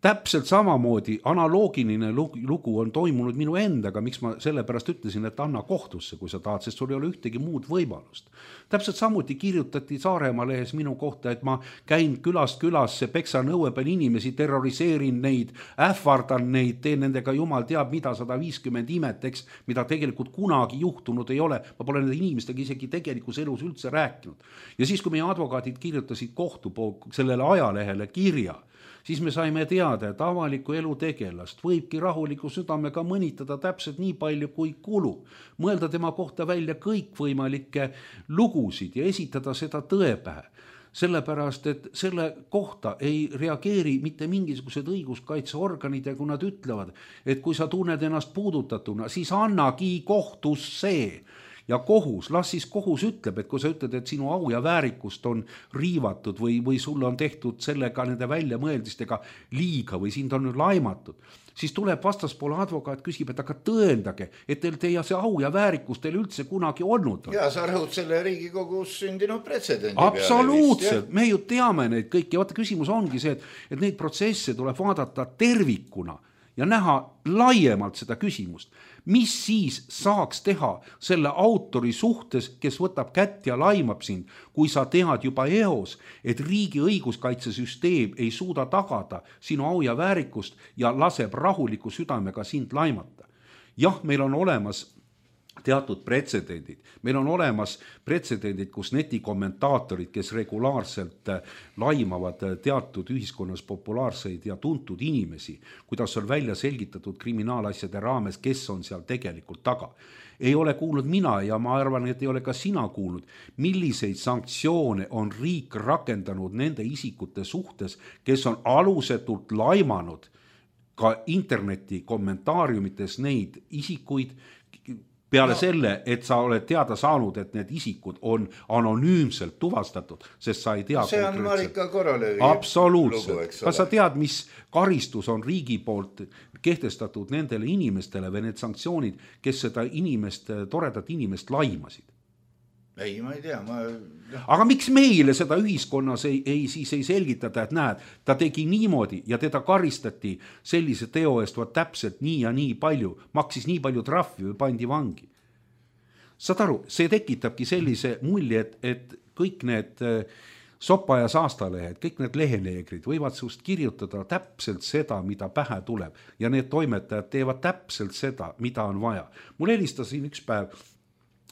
[SPEAKER 4] täpselt samamoodi analoogiline lugu on toimunud minu endaga, miks ma sellepärast ütlesin, et anna kohtusse, kui sa tahad, sest sul ei ole ühtegi muud võimalust. Täpselt samuti kirjutati Saaremaa lehes minu kohta, et ma käin külast külasse, peksan õue peal inimesi, terroriseerin neid, ähvardan neid, teen nendega jumal teab mida, 150 imet, eks, mida tegelikult kunagi juhtunud ei ole. Ma pole nende inimestega isegi tegelikus elus üldse rääkinud. Ja siis, kui meie advokaadid kirjutasid sellele ajalehele kirja, siis me saime teada, et avaliku elu tegelast võibki rahuliku südamega mõnitada täpselt nii palju kui kulub. Mõelda tema kohta välja kõikvõimalikke lugusid ja esitada seda tõepähe. Sellepärast, et selle kohta ei reageeri mitte mingisugused õiguskaitseorganid ja kui nad ütlevad, et kui sa tunned ennast puudutatuna, siis annagi kohtusse. Ja kohus, las siis kohus ütleb, et kui sa ütled, et sinu au ja väärikust on riivatud või sulle on tehtud sellega nende väljamõeldistega liiga või sind on laimatud, siis tuleb vastaspoole advokaat, küsib, et aga tõendage, et teie see au ja väärikus teil üldse kunagi olnud on.
[SPEAKER 3] Ja sa rõhud selle Riigikogus sündinud pretsedendi
[SPEAKER 4] absoluutselt, me ju teame neid kõiki. Vaata, küsimus ongi see, et neid protsesse tuleb vaadata tervikuna ja näha laiemalt seda küsimust. Mis siis saaks teha selle autori suhtes, kes võtab kätt ja laimab sind, kui sa tead juba eos, et riigi õiguskaitsesüsteem ei suuda tagada sinu au ja väärikust ja laseb rahuliku südamega sind laimata. Jah, meil on olemas teatud pretsedendid. Meil on olemas pretsedendid, kus netikommentaatorid, kes regulaarselt laimavad teatud ühiskonnas populaarseid ja tuntud inimesi, kuidas on välja selgitatud kriminaalasjade raames, kes on seal tegelikult taga. Ei ole kuulnud mina ja ma arvan, et ei ole ka sina kuulnud, milliseid sanktsioone on riik rakendanud nende isikute suhtes, kes on alusetult laimanud ka interneti kommentaariumites neid isikuid, peale selle, et sa oled teada saanud, et need isikud on anonüümselt tuvastatud, sest sa ei tea
[SPEAKER 3] see on Marika Korolövi
[SPEAKER 4] absoluutselt. Kas sa tead, mis karistus on riigi poolt kehtestatud nendele inimestele või need sanktsioonid, kes seda toredat inimest laimasid?
[SPEAKER 3] Ei, ma ei tea.
[SPEAKER 4] Aga miks meile seda ühiskonnas ei selgitada, et näed, ta tegi niimoodi ja teda karistati sellise teo eest täpselt nii ja nii palju, maksis nii palju trahvi või pandi vangi. Saad aru, see tekitabki sellise mulje, et kõik need sopa ja saastalehed, kõik need leheneegrid võivad sust kirjutada täpselt seda, mida pähe tuleb ja need toimetajad teevad täpselt seda, mida on vaja. Mul helistasin üks päev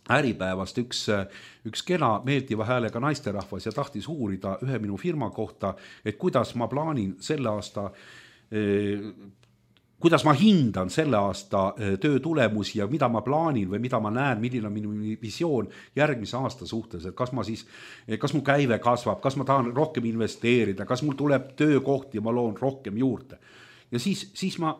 [SPEAKER 4] Äripäevast üks kena meeldiva häälega naisterahvas ja tahtis uurida ühe minu firma kohta, et kuidas ma plaanin selle aasta, kuidas ma hindan selle aasta töö tulemusi ja mida ma plaanin või mida ma näen, milline on minu visioon järgmise aasta suhtes, et kas mu käive kasvab, kas ma tahan rohkem investeerida, kas mul tuleb töökohti ja ma loon rohkem juurde. Ja siis ma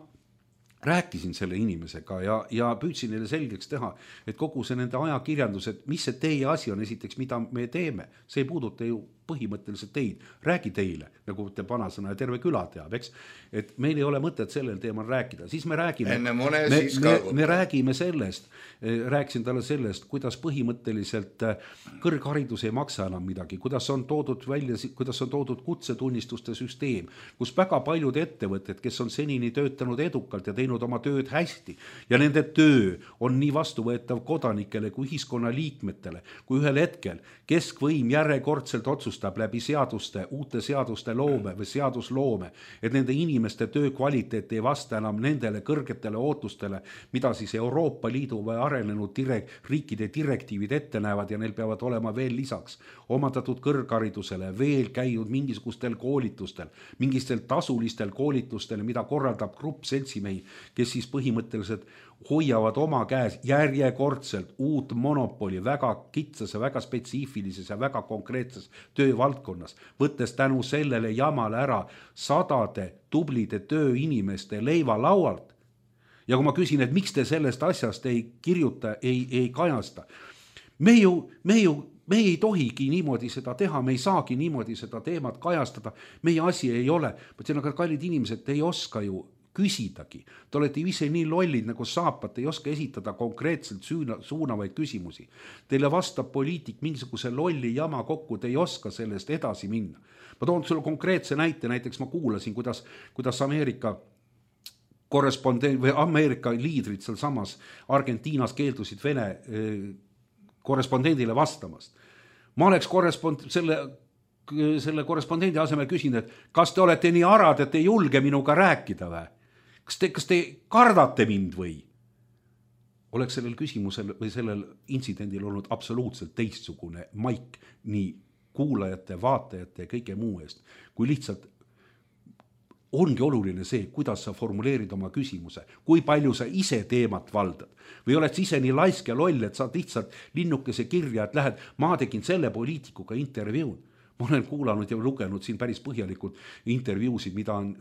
[SPEAKER 4] rääkisin selle inimesega ja püüdsin neile selgeks teha, et kogu see nende ajakirjandus, et mis see teie asi on esiteks, mida me teeme, see ei puuduta ju põhimõtteliselt teid, räägi teile, nagu te vanasõna ja terve küla teab, eks, et meil ei ole mõtet sellel teemal rääkida, siis me räägime sellest, rääkisin talle sellest, kuidas põhimõtteliselt kõrgharidus ei maksa enam midagi, kuidas on toodud kutsetunnistuste süsteem, kus väga paljud ettevõtted, kes on senini töötanud edukalt ja teinud oma tööd hästi ja nende töö on nii vastuvõetav kodanikele kui ühiskonna liikmetele, kui ühel hetkel keskvõim järjekordselt otsustab läbi uute seaduste loome või seadusloome, et nende inimeste töö kvaliteet ei vasta enam nendele kõrgetele ootustele, mida siis Euroopa Liidu või arenenud riikide direktiivid ette näevad ja neil peavad olema veel lisaks omandatud kõrgharidusele, veel käinud mingisugustel koolitustel, mingistel tasulistel koolitustel, mida korraldab grupp seltsimehi, kes siis põhimõtteliselt hoiavad oma käes järjekordselt uut monopoli väga kitsas ja väga spetsiifilises ja väga konkreetses töövaldkonnas, võttes tänu sellele jamale ära sadade tublide tööinimeste leiva laualt. Ja kui ma küsin, et miks te sellest asjast ei kirjuta, ei kajasta, me ei tohigi niimoodi seda teha, me ei saagi niimoodi seda teemat kajastada, meie asi ei ole, aga kallid inimesed, te ei oska ju küsidagi. Te olete ise nii lollid nagu saapad, ei oska esitada konkreetselt suunavaid küsimusi. Teile vastab poliitik mingisuguse lolli jama kokku, te ei oska sellest edasi minna. Ma toon sulle konkreetse näite, näiteks ma kuulasin, kuidas Ameerika liidrid seal samas Argentiinas keeldusid Vene korrespondendile vastamast. Ma oleks selle korrespondendi asemel küsinud, et kas te olete nii arad, et ei julge minuga rääkida või? Kas te kardate mind või? Oleks sellel küsimusel või sellel intsidendil olnud absoluutselt teistsugune maik nii kuulajate, vaatajate ja kõige muu eest, kui lihtsalt ongi oluline see, kuidas sa formuleerid oma küsimuse, kui palju sa ise teemat valdad. Või oled ise nii laisk ja loll, et saad lihtsalt linnukese kirja, et lähed, ma tegin selle poliitikuga intervjuud. Ma olen kuulanud ja lugenud siin päris põhjalikult intervjuusid, mida on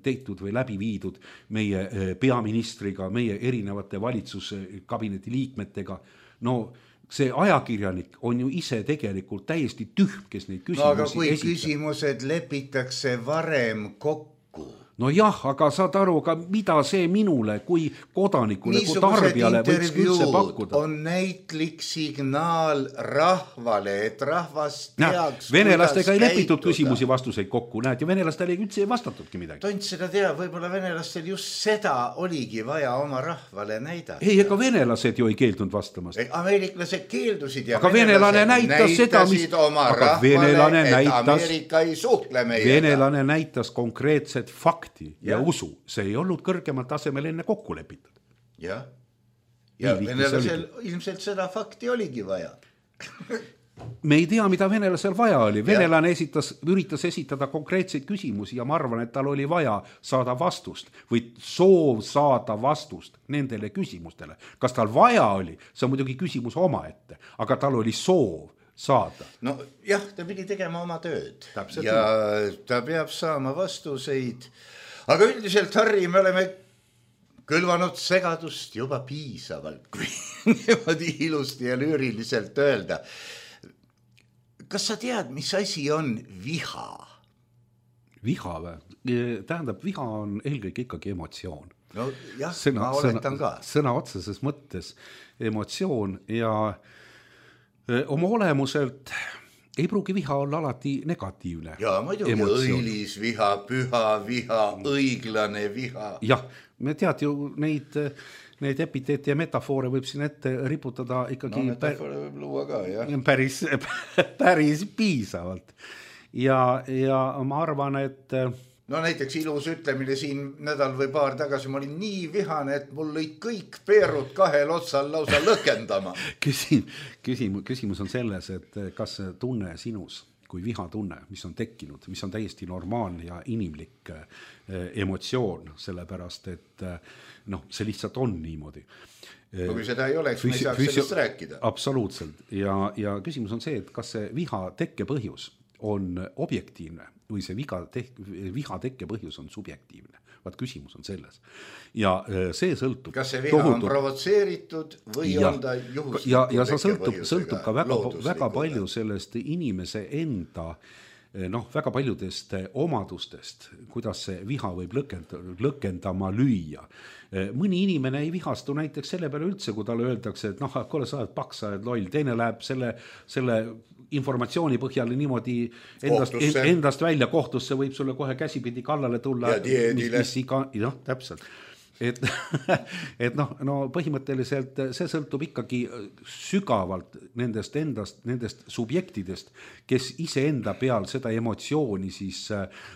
[SPEAKER 4] tehtud või läbi viidud meie peaministriga, meie erinevate valitsuskabineti liikmetega. No see ajakirjanik on ju ise tegelikult täiesti tühm, kes neid küsimusi
[SPEAKER 3] aga kui esitab. Küsimused lepitakse varem kokku.
[SPEAKER 4] No jah, aga saad aru, aga mida see minule kui kodanikule, kui tarbijale võiks üldse pakkuda?
[SPEAKER 3] On näitlik signaal rahvale, et rahvas teaks,
[SPEAKER 4] venelastega ei lepitud küsimusi vastuseid kokku, näed, ja venelastele üldse ei vastatudki midagi.
[SPEAKER 3] Tont seda teab, võib-olla venelastel just seda oligi vaja oma rahvale näidata.
[SPEAKER 4] Ei, ega venelased ju ei keeldunud vastamast.
[SPEAKER 3] Ameeriklased keeldusid ja
[SPEAKER 4] aga venelane näitas seda,
[SPEAKER 3] oma rahvale, et Ameerika ei suhtle meiega.
[SPEAKER 4] Venelane näitas konkreetset fakti ja usu. See ei olnud kõrgemal tasemel enne kokku lepitud.
[SPEAKER 3] Ja venelasel ilmselt seda fakti oligi vaja.
[SPEAKER 4] Me ei tea, mida venelasel vaja oli. Venelane üritas esitada konkreetseid küsimusi ja ma arvan, et tal oli vaja saada vastust või soov saada vastust nendele küsimustele. Kas tal vaja oli? See on muidugi küsimus omaette, aga tal oli soov saada.
[SPEAKER 3] No jah, ta pidi tegema oma tööd.
[SPEAKER 4] Täpselt
[SPEAKER 3] ja ta peab saama vastuseid. Aga üldiselt, Harri, me oleme külvanud segadust juba piisavalt, kui niimoodi ilusti ja lüüriliselt öelda. Kas sa tead, mis asi on viha?
[SPEAKER 4] Viha või? Tähendab, viha on eelkõige ikkagi emotsioon.
[SPEAKER 3] No jah, ma oletan ka.
[SPEAKER 4] Sõna otseses mõttes emotsioon ja oma olemuselt ei pruugi viha olla alati negatiivne.
[SPEAKER 3] Ja muidugi õilis viha, püha viha, õiglane viha.
[SPEAKER 4] Jah, me tead ju neid epiteete ja metafoore võib siin ette riputada ikkagi
[SPEAKER 3] metafoore võib luua ka, jah.
[SPEAKER 4] Päris piisavalt. Ja ma arvan, et
[SPEAKER 3] no näiteks ilus ütlemine siin nädal või paar tagasi, ma olin nii vihane, et mul lõid kõik peerud kahel otsal lausa lõkendama.
[SPEAKER 4] Küsimus on selles, et kas tunne sinus kui vihatunne, mis on tekkinud, mis on täiesti normaalne ja inimlik emotsioon, sellepärast, et see lihtsalt on niimoodi.
[SPEAKER 3] Kui seda ei oleks, me ei saaks sellest rääkida.
[SPEAKER 4] Absoluutselt. Ja küsimus on see, et kas see viha tekkepõhjus on objektiivne või see viha tekkepõhjus on subjektiivne. Vaat küsimus on selles. Ja see sõltub.
[SPEAKER 3] Kas see viha on provotseeritud või on ta juhuslikult
[SPEAKER 4] ja see sõltub ka väga palju sellest inimese enda väga paljudest omadustest, kuidas see viha võib lõkendama lüüa. Mõni inimene ei vihastu näiteks selle peale üldse, kui talle öeldakse, et kuule, sa oled paks, sa oled loll, teine läheb selle informatsiooni põhjal niimoodi endast välja kohtusse, võib sulle kohe käsipidi kallale tulla.
[SPEAKER 3] Ja diedile.
[SPEAKER 4] Täpselt. Et põhimõtteliselt see sõltub ikkagi sügavalt nendest subjektidest, kes iseenda peal seda emotsiooni siis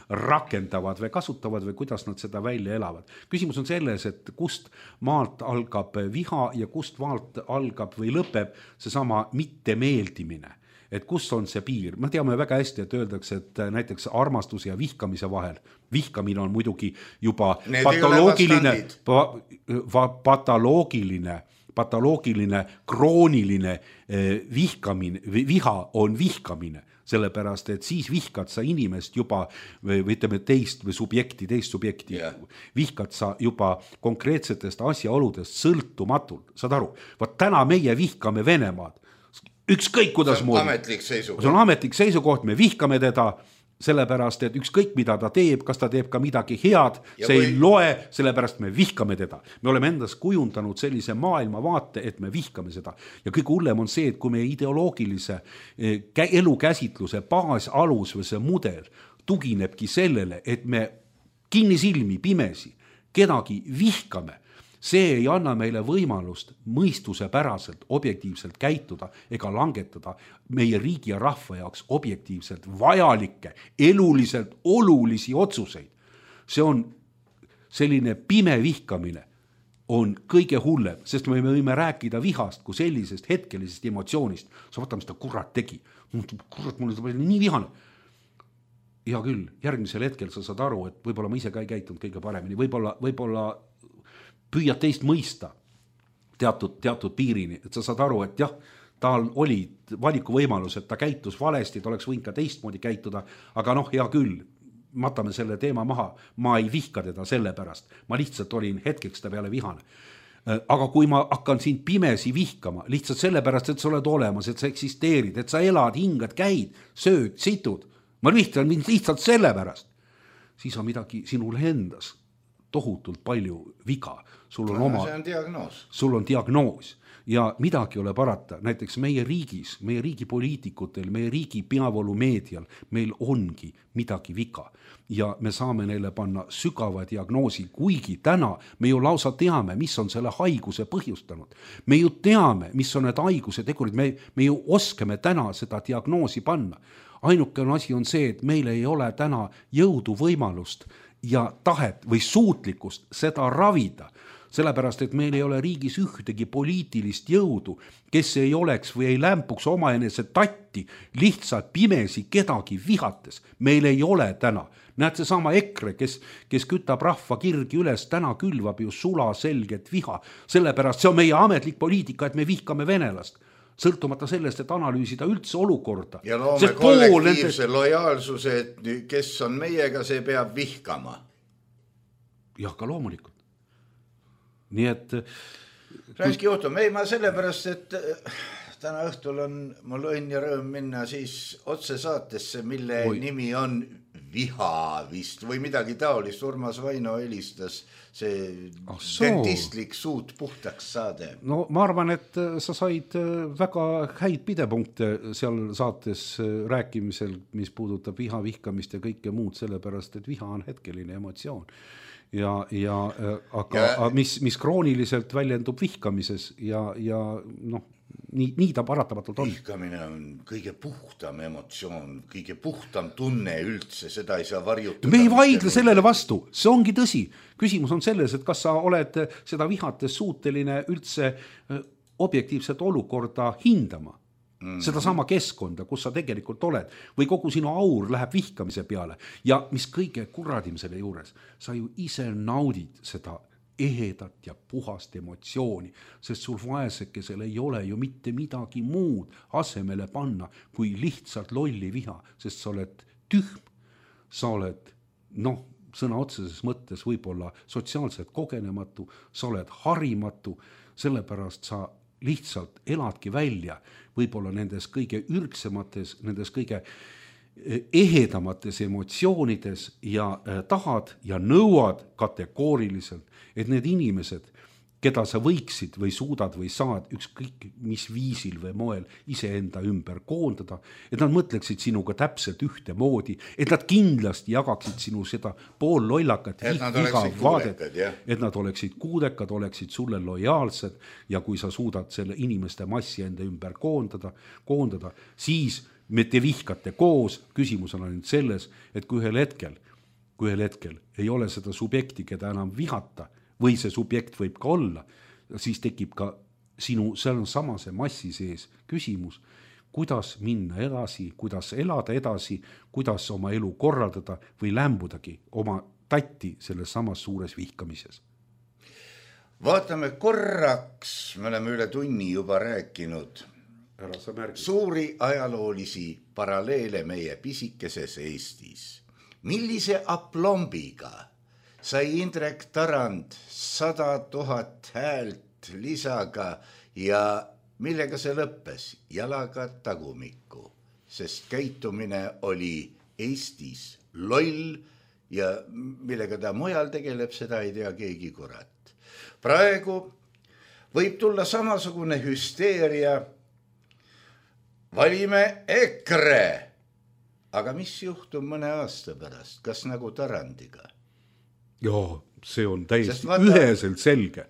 [SPEAKER 4] rakendavad või kasutavad või kuidas nad seda välja elavad. Küsimus on selles, et kust maalt algab viha ja kust maalt algab või lõpeb seesama mittemeeldimine. Et kus on see piir? Me teame väga hästi, et öeldakse, et näiteks armastuse ja vihkamise vahel. Vihkamine on muidugi juba patoloogiline, krooniline viha on vihkamine. Sellepärast, et siis vihkad sa inimest juba või ütleme teist subjekti. Yeah. Vihkad sa juba konkreetsetest asjaoludest sõltumatult. Saad aru? Vaat täna meie vihkame Venemaad. Ükskõik kuidas moodi.
[SPEAKER 3] Ametlik seisukoht.
[SPEAKER 4] See on ametlik seisukoht, me vihkame teda, sellepärast, et ükskõik mida ta teeb, kas ta teeb ka midagi head, see ei loe, sellepärast me vihkame teda. Me oleme endas kujundanud sellise maailmavaate, et me vihkame seda. Ja kõige hullem on see, et kui meie ideoloogilise elukäsitluse baasalus või see mudel tuginebki sellele, et me kinnisilmi, pimesi kedagi vihkame, see ei anna meile võimalust mõistuse päraselt, objektiivselt käituda ega langetada meie riigi ja rahva jaoks objektiivselt vajalikke, eluliselt olulisi otsuseid. See on selline pime vihkamine on kõige hullem, sest me võime rääkida vihast kui sellisest hetkelisest emotsioonist. Sa võta, mis ta kurat tegi. Kurat, mul on nii vihane. Hea küll, järgmisel hetkel sa saad aru, et võib-olla ma ise ka ei käitunud kõige paremini, võib-olla püüad teist mõista teatud piirini, et sa saad aru, et jah, tal oli valikuvõimalus, et ta käitus valesti, ta oleks võinud ka teistmoodi käituda, aga hea küll, matame selle teema maha, ma ei vihka teda selle pärast, ma lihtsalt olin hetkeks ta peale vihane. Aga kui ma hakkan sind pimesi vihkama, lihtsalt sellepärast, et sa oled olemas, et sa eksisteerid, et sa elad, hingad, käid, sööd, situd, ma vihtan mind lihtsalt sellepärast, siis on midagi sinul endas tohutult palju viga. Sul on diagnoos ja midagi ole parata. Näiteks meie riigis, meie riigi poliitikutel, meie riigi peavoolumeedial meil ongi midagi viga ja me saame neile panna sügava diagnoosi, kuigi täna me ju lausa teame, mis on selle haiguse põhjustanud. Me ju teame, mis on need haiguse tegurid, me ju oskame täna seda diagnoosi panna. Ainuke asi on see, et meil ei ole täna jõudu võimalust ja tahet või suutlikkust seda ravida, sellepärast, et meil ei ole riigis ühtegi poliitilist jõudu, kes ei oleks või ei lämpuks omaenese tatti lihtsalt pimesi kedagi vihates. Meil ei ole täna. Näed see sama EKRE, kes kütab rahva kirgi üles, täna külvab ju sula selget viha. Sellepärast see on meie ametlik poliitika, et me vihkame venelast. Sõltumata sellest, et analüüsida üldse olukorda.
[SPEAKER 3] Ja loome kollektiivse lojaalsuse, et kes on meiega, see peab vihkama.
[SPEAKER 4] Jah, ka loomulikult. Nii et...
[SPEAKER 3] Rääski juhtum, ei ma sellepärast, et täna õhtul on mul õnn ja rõõm minna siis otse saatesse, mille nimi on Viha vist või midagi taolist. Urmas Vaino helistas see dentistlik suut puhtaks saade.
[SPEAKER 4] No ma arvan, et sa said väga häid pidepunkte seal saates rääkimisel, mis puudutab viha, vihkamist ja kõike muud, sellepärast, et viha on hetkeline emotsioon. Aga mis krooniliselt väljendub vihkamises ja nii ta paratamatult on.
[SPEAKER 3] Vihkamine on kõige puhtam emotsioon, kõige puhtam tunne üldse, seda ei saa varjutada.
[SPEAKER 4] Me ei vaidle sellele vastu, see ongi tõsi. Küsimus on selles, et kas sa oled seda vihates suuteline üldse objektiivset olukorda hindama. Seda sama keskkonda, kus sa tegelikult oled, või kogu sinu aur läheb vihkamise peale. Ja mis kõige kuradim selle juures, sa ju ise naudid seda ehedat ja puhast emotsiooni, sest sul vaesekesel ei ole ju mitte midagi muud asemele panna, kui lihtsalt lolli viha, sest sa oled tühm, sa oled, sõna otseses mõttes võib-olla sotsiaalselt kogenematu, sa oled harimatu, sellepärast sa lihtsalt eladki välja võib-olla nendes kõige ürgsemates, nendes kõige ehedamates emotsioonides ja tahad ja nõuad kategooriliselt, et need inimesed, keda sa võiksid või suudad või saad ükskõik mis viisil või moel iseenda ümber koondada, et nad mõtleksid sinuga täpselt ühte moodi, et nad kindlasti jagaksid sinu seda poollollakat vaadet, et nad oleksid kuudekad, oleksid sulle lojaalsed ja kui sa suudad selle inimeste massi enda ümber koondada, siis me te vihkate koos. Küsimus on ainult selles, et kui ühel hetkel ei ole seda subjekti, keda enam vihata, või see subjekt võib ka olla, siis tekib ka sinu samase massi sees küsimus, kuidas minna edasi, kuidas elada edasi, kuidas oma elu korraldada või lämbudagi oma tatti selles samas suures vihkamises.
[SPEAKER 3] Vaatame korraks, me oleme üle tunni juba rääkinud suuri ajaloolisi paralleele meie pisikeses Eestis. Millise aplombiga sai Indrek Tarand 100 000 häält lisaga ja millega see lõppes? Jalaga tagumikku, sest käitumine oli Eestis loll ja millega ta mujal tegeleb, seda ei tea keegi kurat. Praegu võib tulla samasugune hüsteeria. Valime EKRE. Aga mis juhtub mõne aasta pärast? Kas nagu Tarandiga?
[SPEAKER 4] Joo, see on täiesti üheselt selge.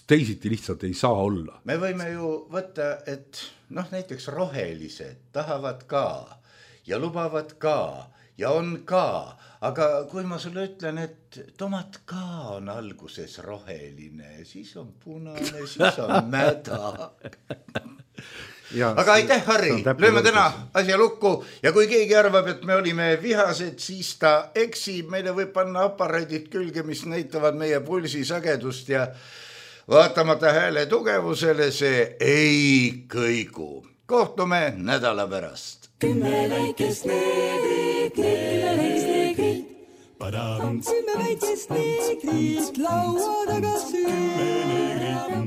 [SPEAKER 4] Teisiti lihtsalt ei saa olla.
[SPEAKER 3] Me võime ju võtta, et näiteks rohelised tahavad ka ja lubavad ka ja on ka, aga kui ma sulle ütlen, et tomat ka on alguses roheline, siis on punane, siis on mäda. Aga aitäh, Harri, lööme täna asja lukku ja kui keegi arvab, et me olime vihased, siis ta eksib, meile võib panna aparaadid külge, mis näitavad meie pulsisagedust ja vaatamata hääle tugevusele see ei kõigu. Kohtume nädala pärast.
[SPEAKER 5] 10 väikest neegrit, 10 väikest neegrit. 10 väikest neegrit, laua taga süü.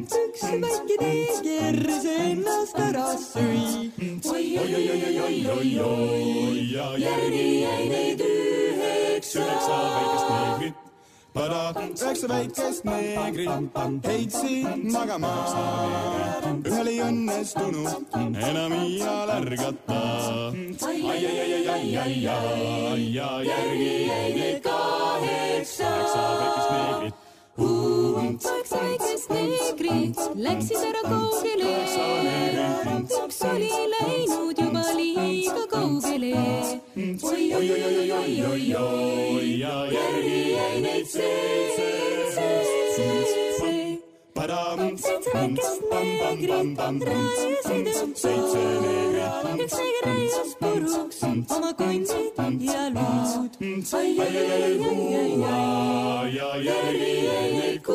[SPEAKER 5] Üks väike neeger ennast ära süü. Oi, ja järgi jäi neid 9 väikest neegrit. 9 väikest neegrit heitsid magama. Ühel ei õnnestunud enam iial ärgata. Ai, ja järgi jäi neid 8 väikest neegrit. 8 väikest neegrit läksid ära kaugele. Üks oli läinud juba liiga kaugele. Oi, ja järgi jäi neid 7 väikest neegrit rääsid ümber. Üks neeger rääjas puruks oma kondid ja luud. Ja järgi jäi neid 6.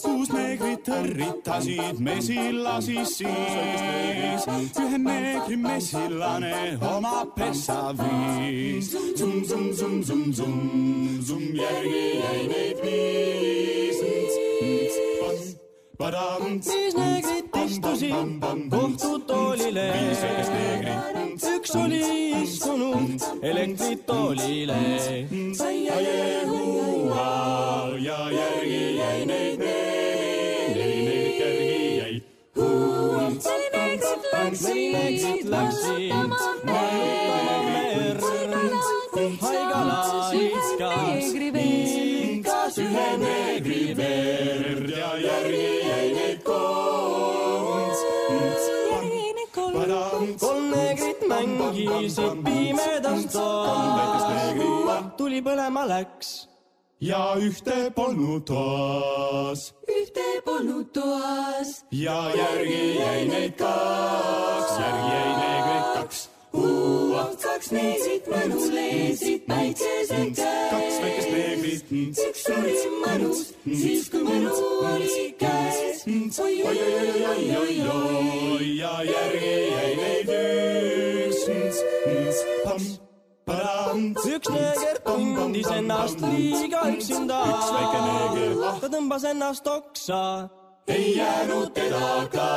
[SPEAKER 5] Kuus neegrit hõrritasid mesillasi siis. Ühe neegri mesillane oma pessa viis. Zum, järgi jäi neid 5. Viis neegrit istusid kohtutoolile. Üks oli istunud elektritoolile. Ja järgi jäi neid 4 neegrit järgi jäi. 4 neegrit läksid haigala iskas ühe neegri verd ja järgi jäi neid 3. 3 neegrit mängisid pimedas toas. Tuli põlema läks ja ühte polnud toas. Ja järgi jäi neid 2. Järgi jäi neegrit 2. 2 neegrit mõnus leesid päikese käes. 2 väikest neegrit. Üks oli mõnus, siis kui mõnu oli käes. Oi, ja järgi jäi neid 1. Üks neeger tundis ennast liiga üksinda. Üks väike neeger. Ta tõmbas ennast oksa. Ei jäänud teda ka.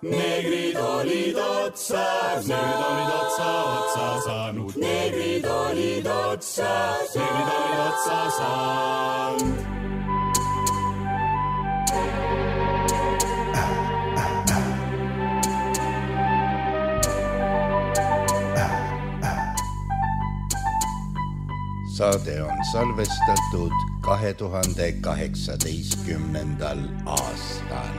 [SPEAKER 5] Neegrid olid otsas. Neegrid olid otsa saanud. Neegrid olid otsas. Neegrid olid otsa saanud.
[SPEAKER 3] Saade on salvestatud 2018. aastal.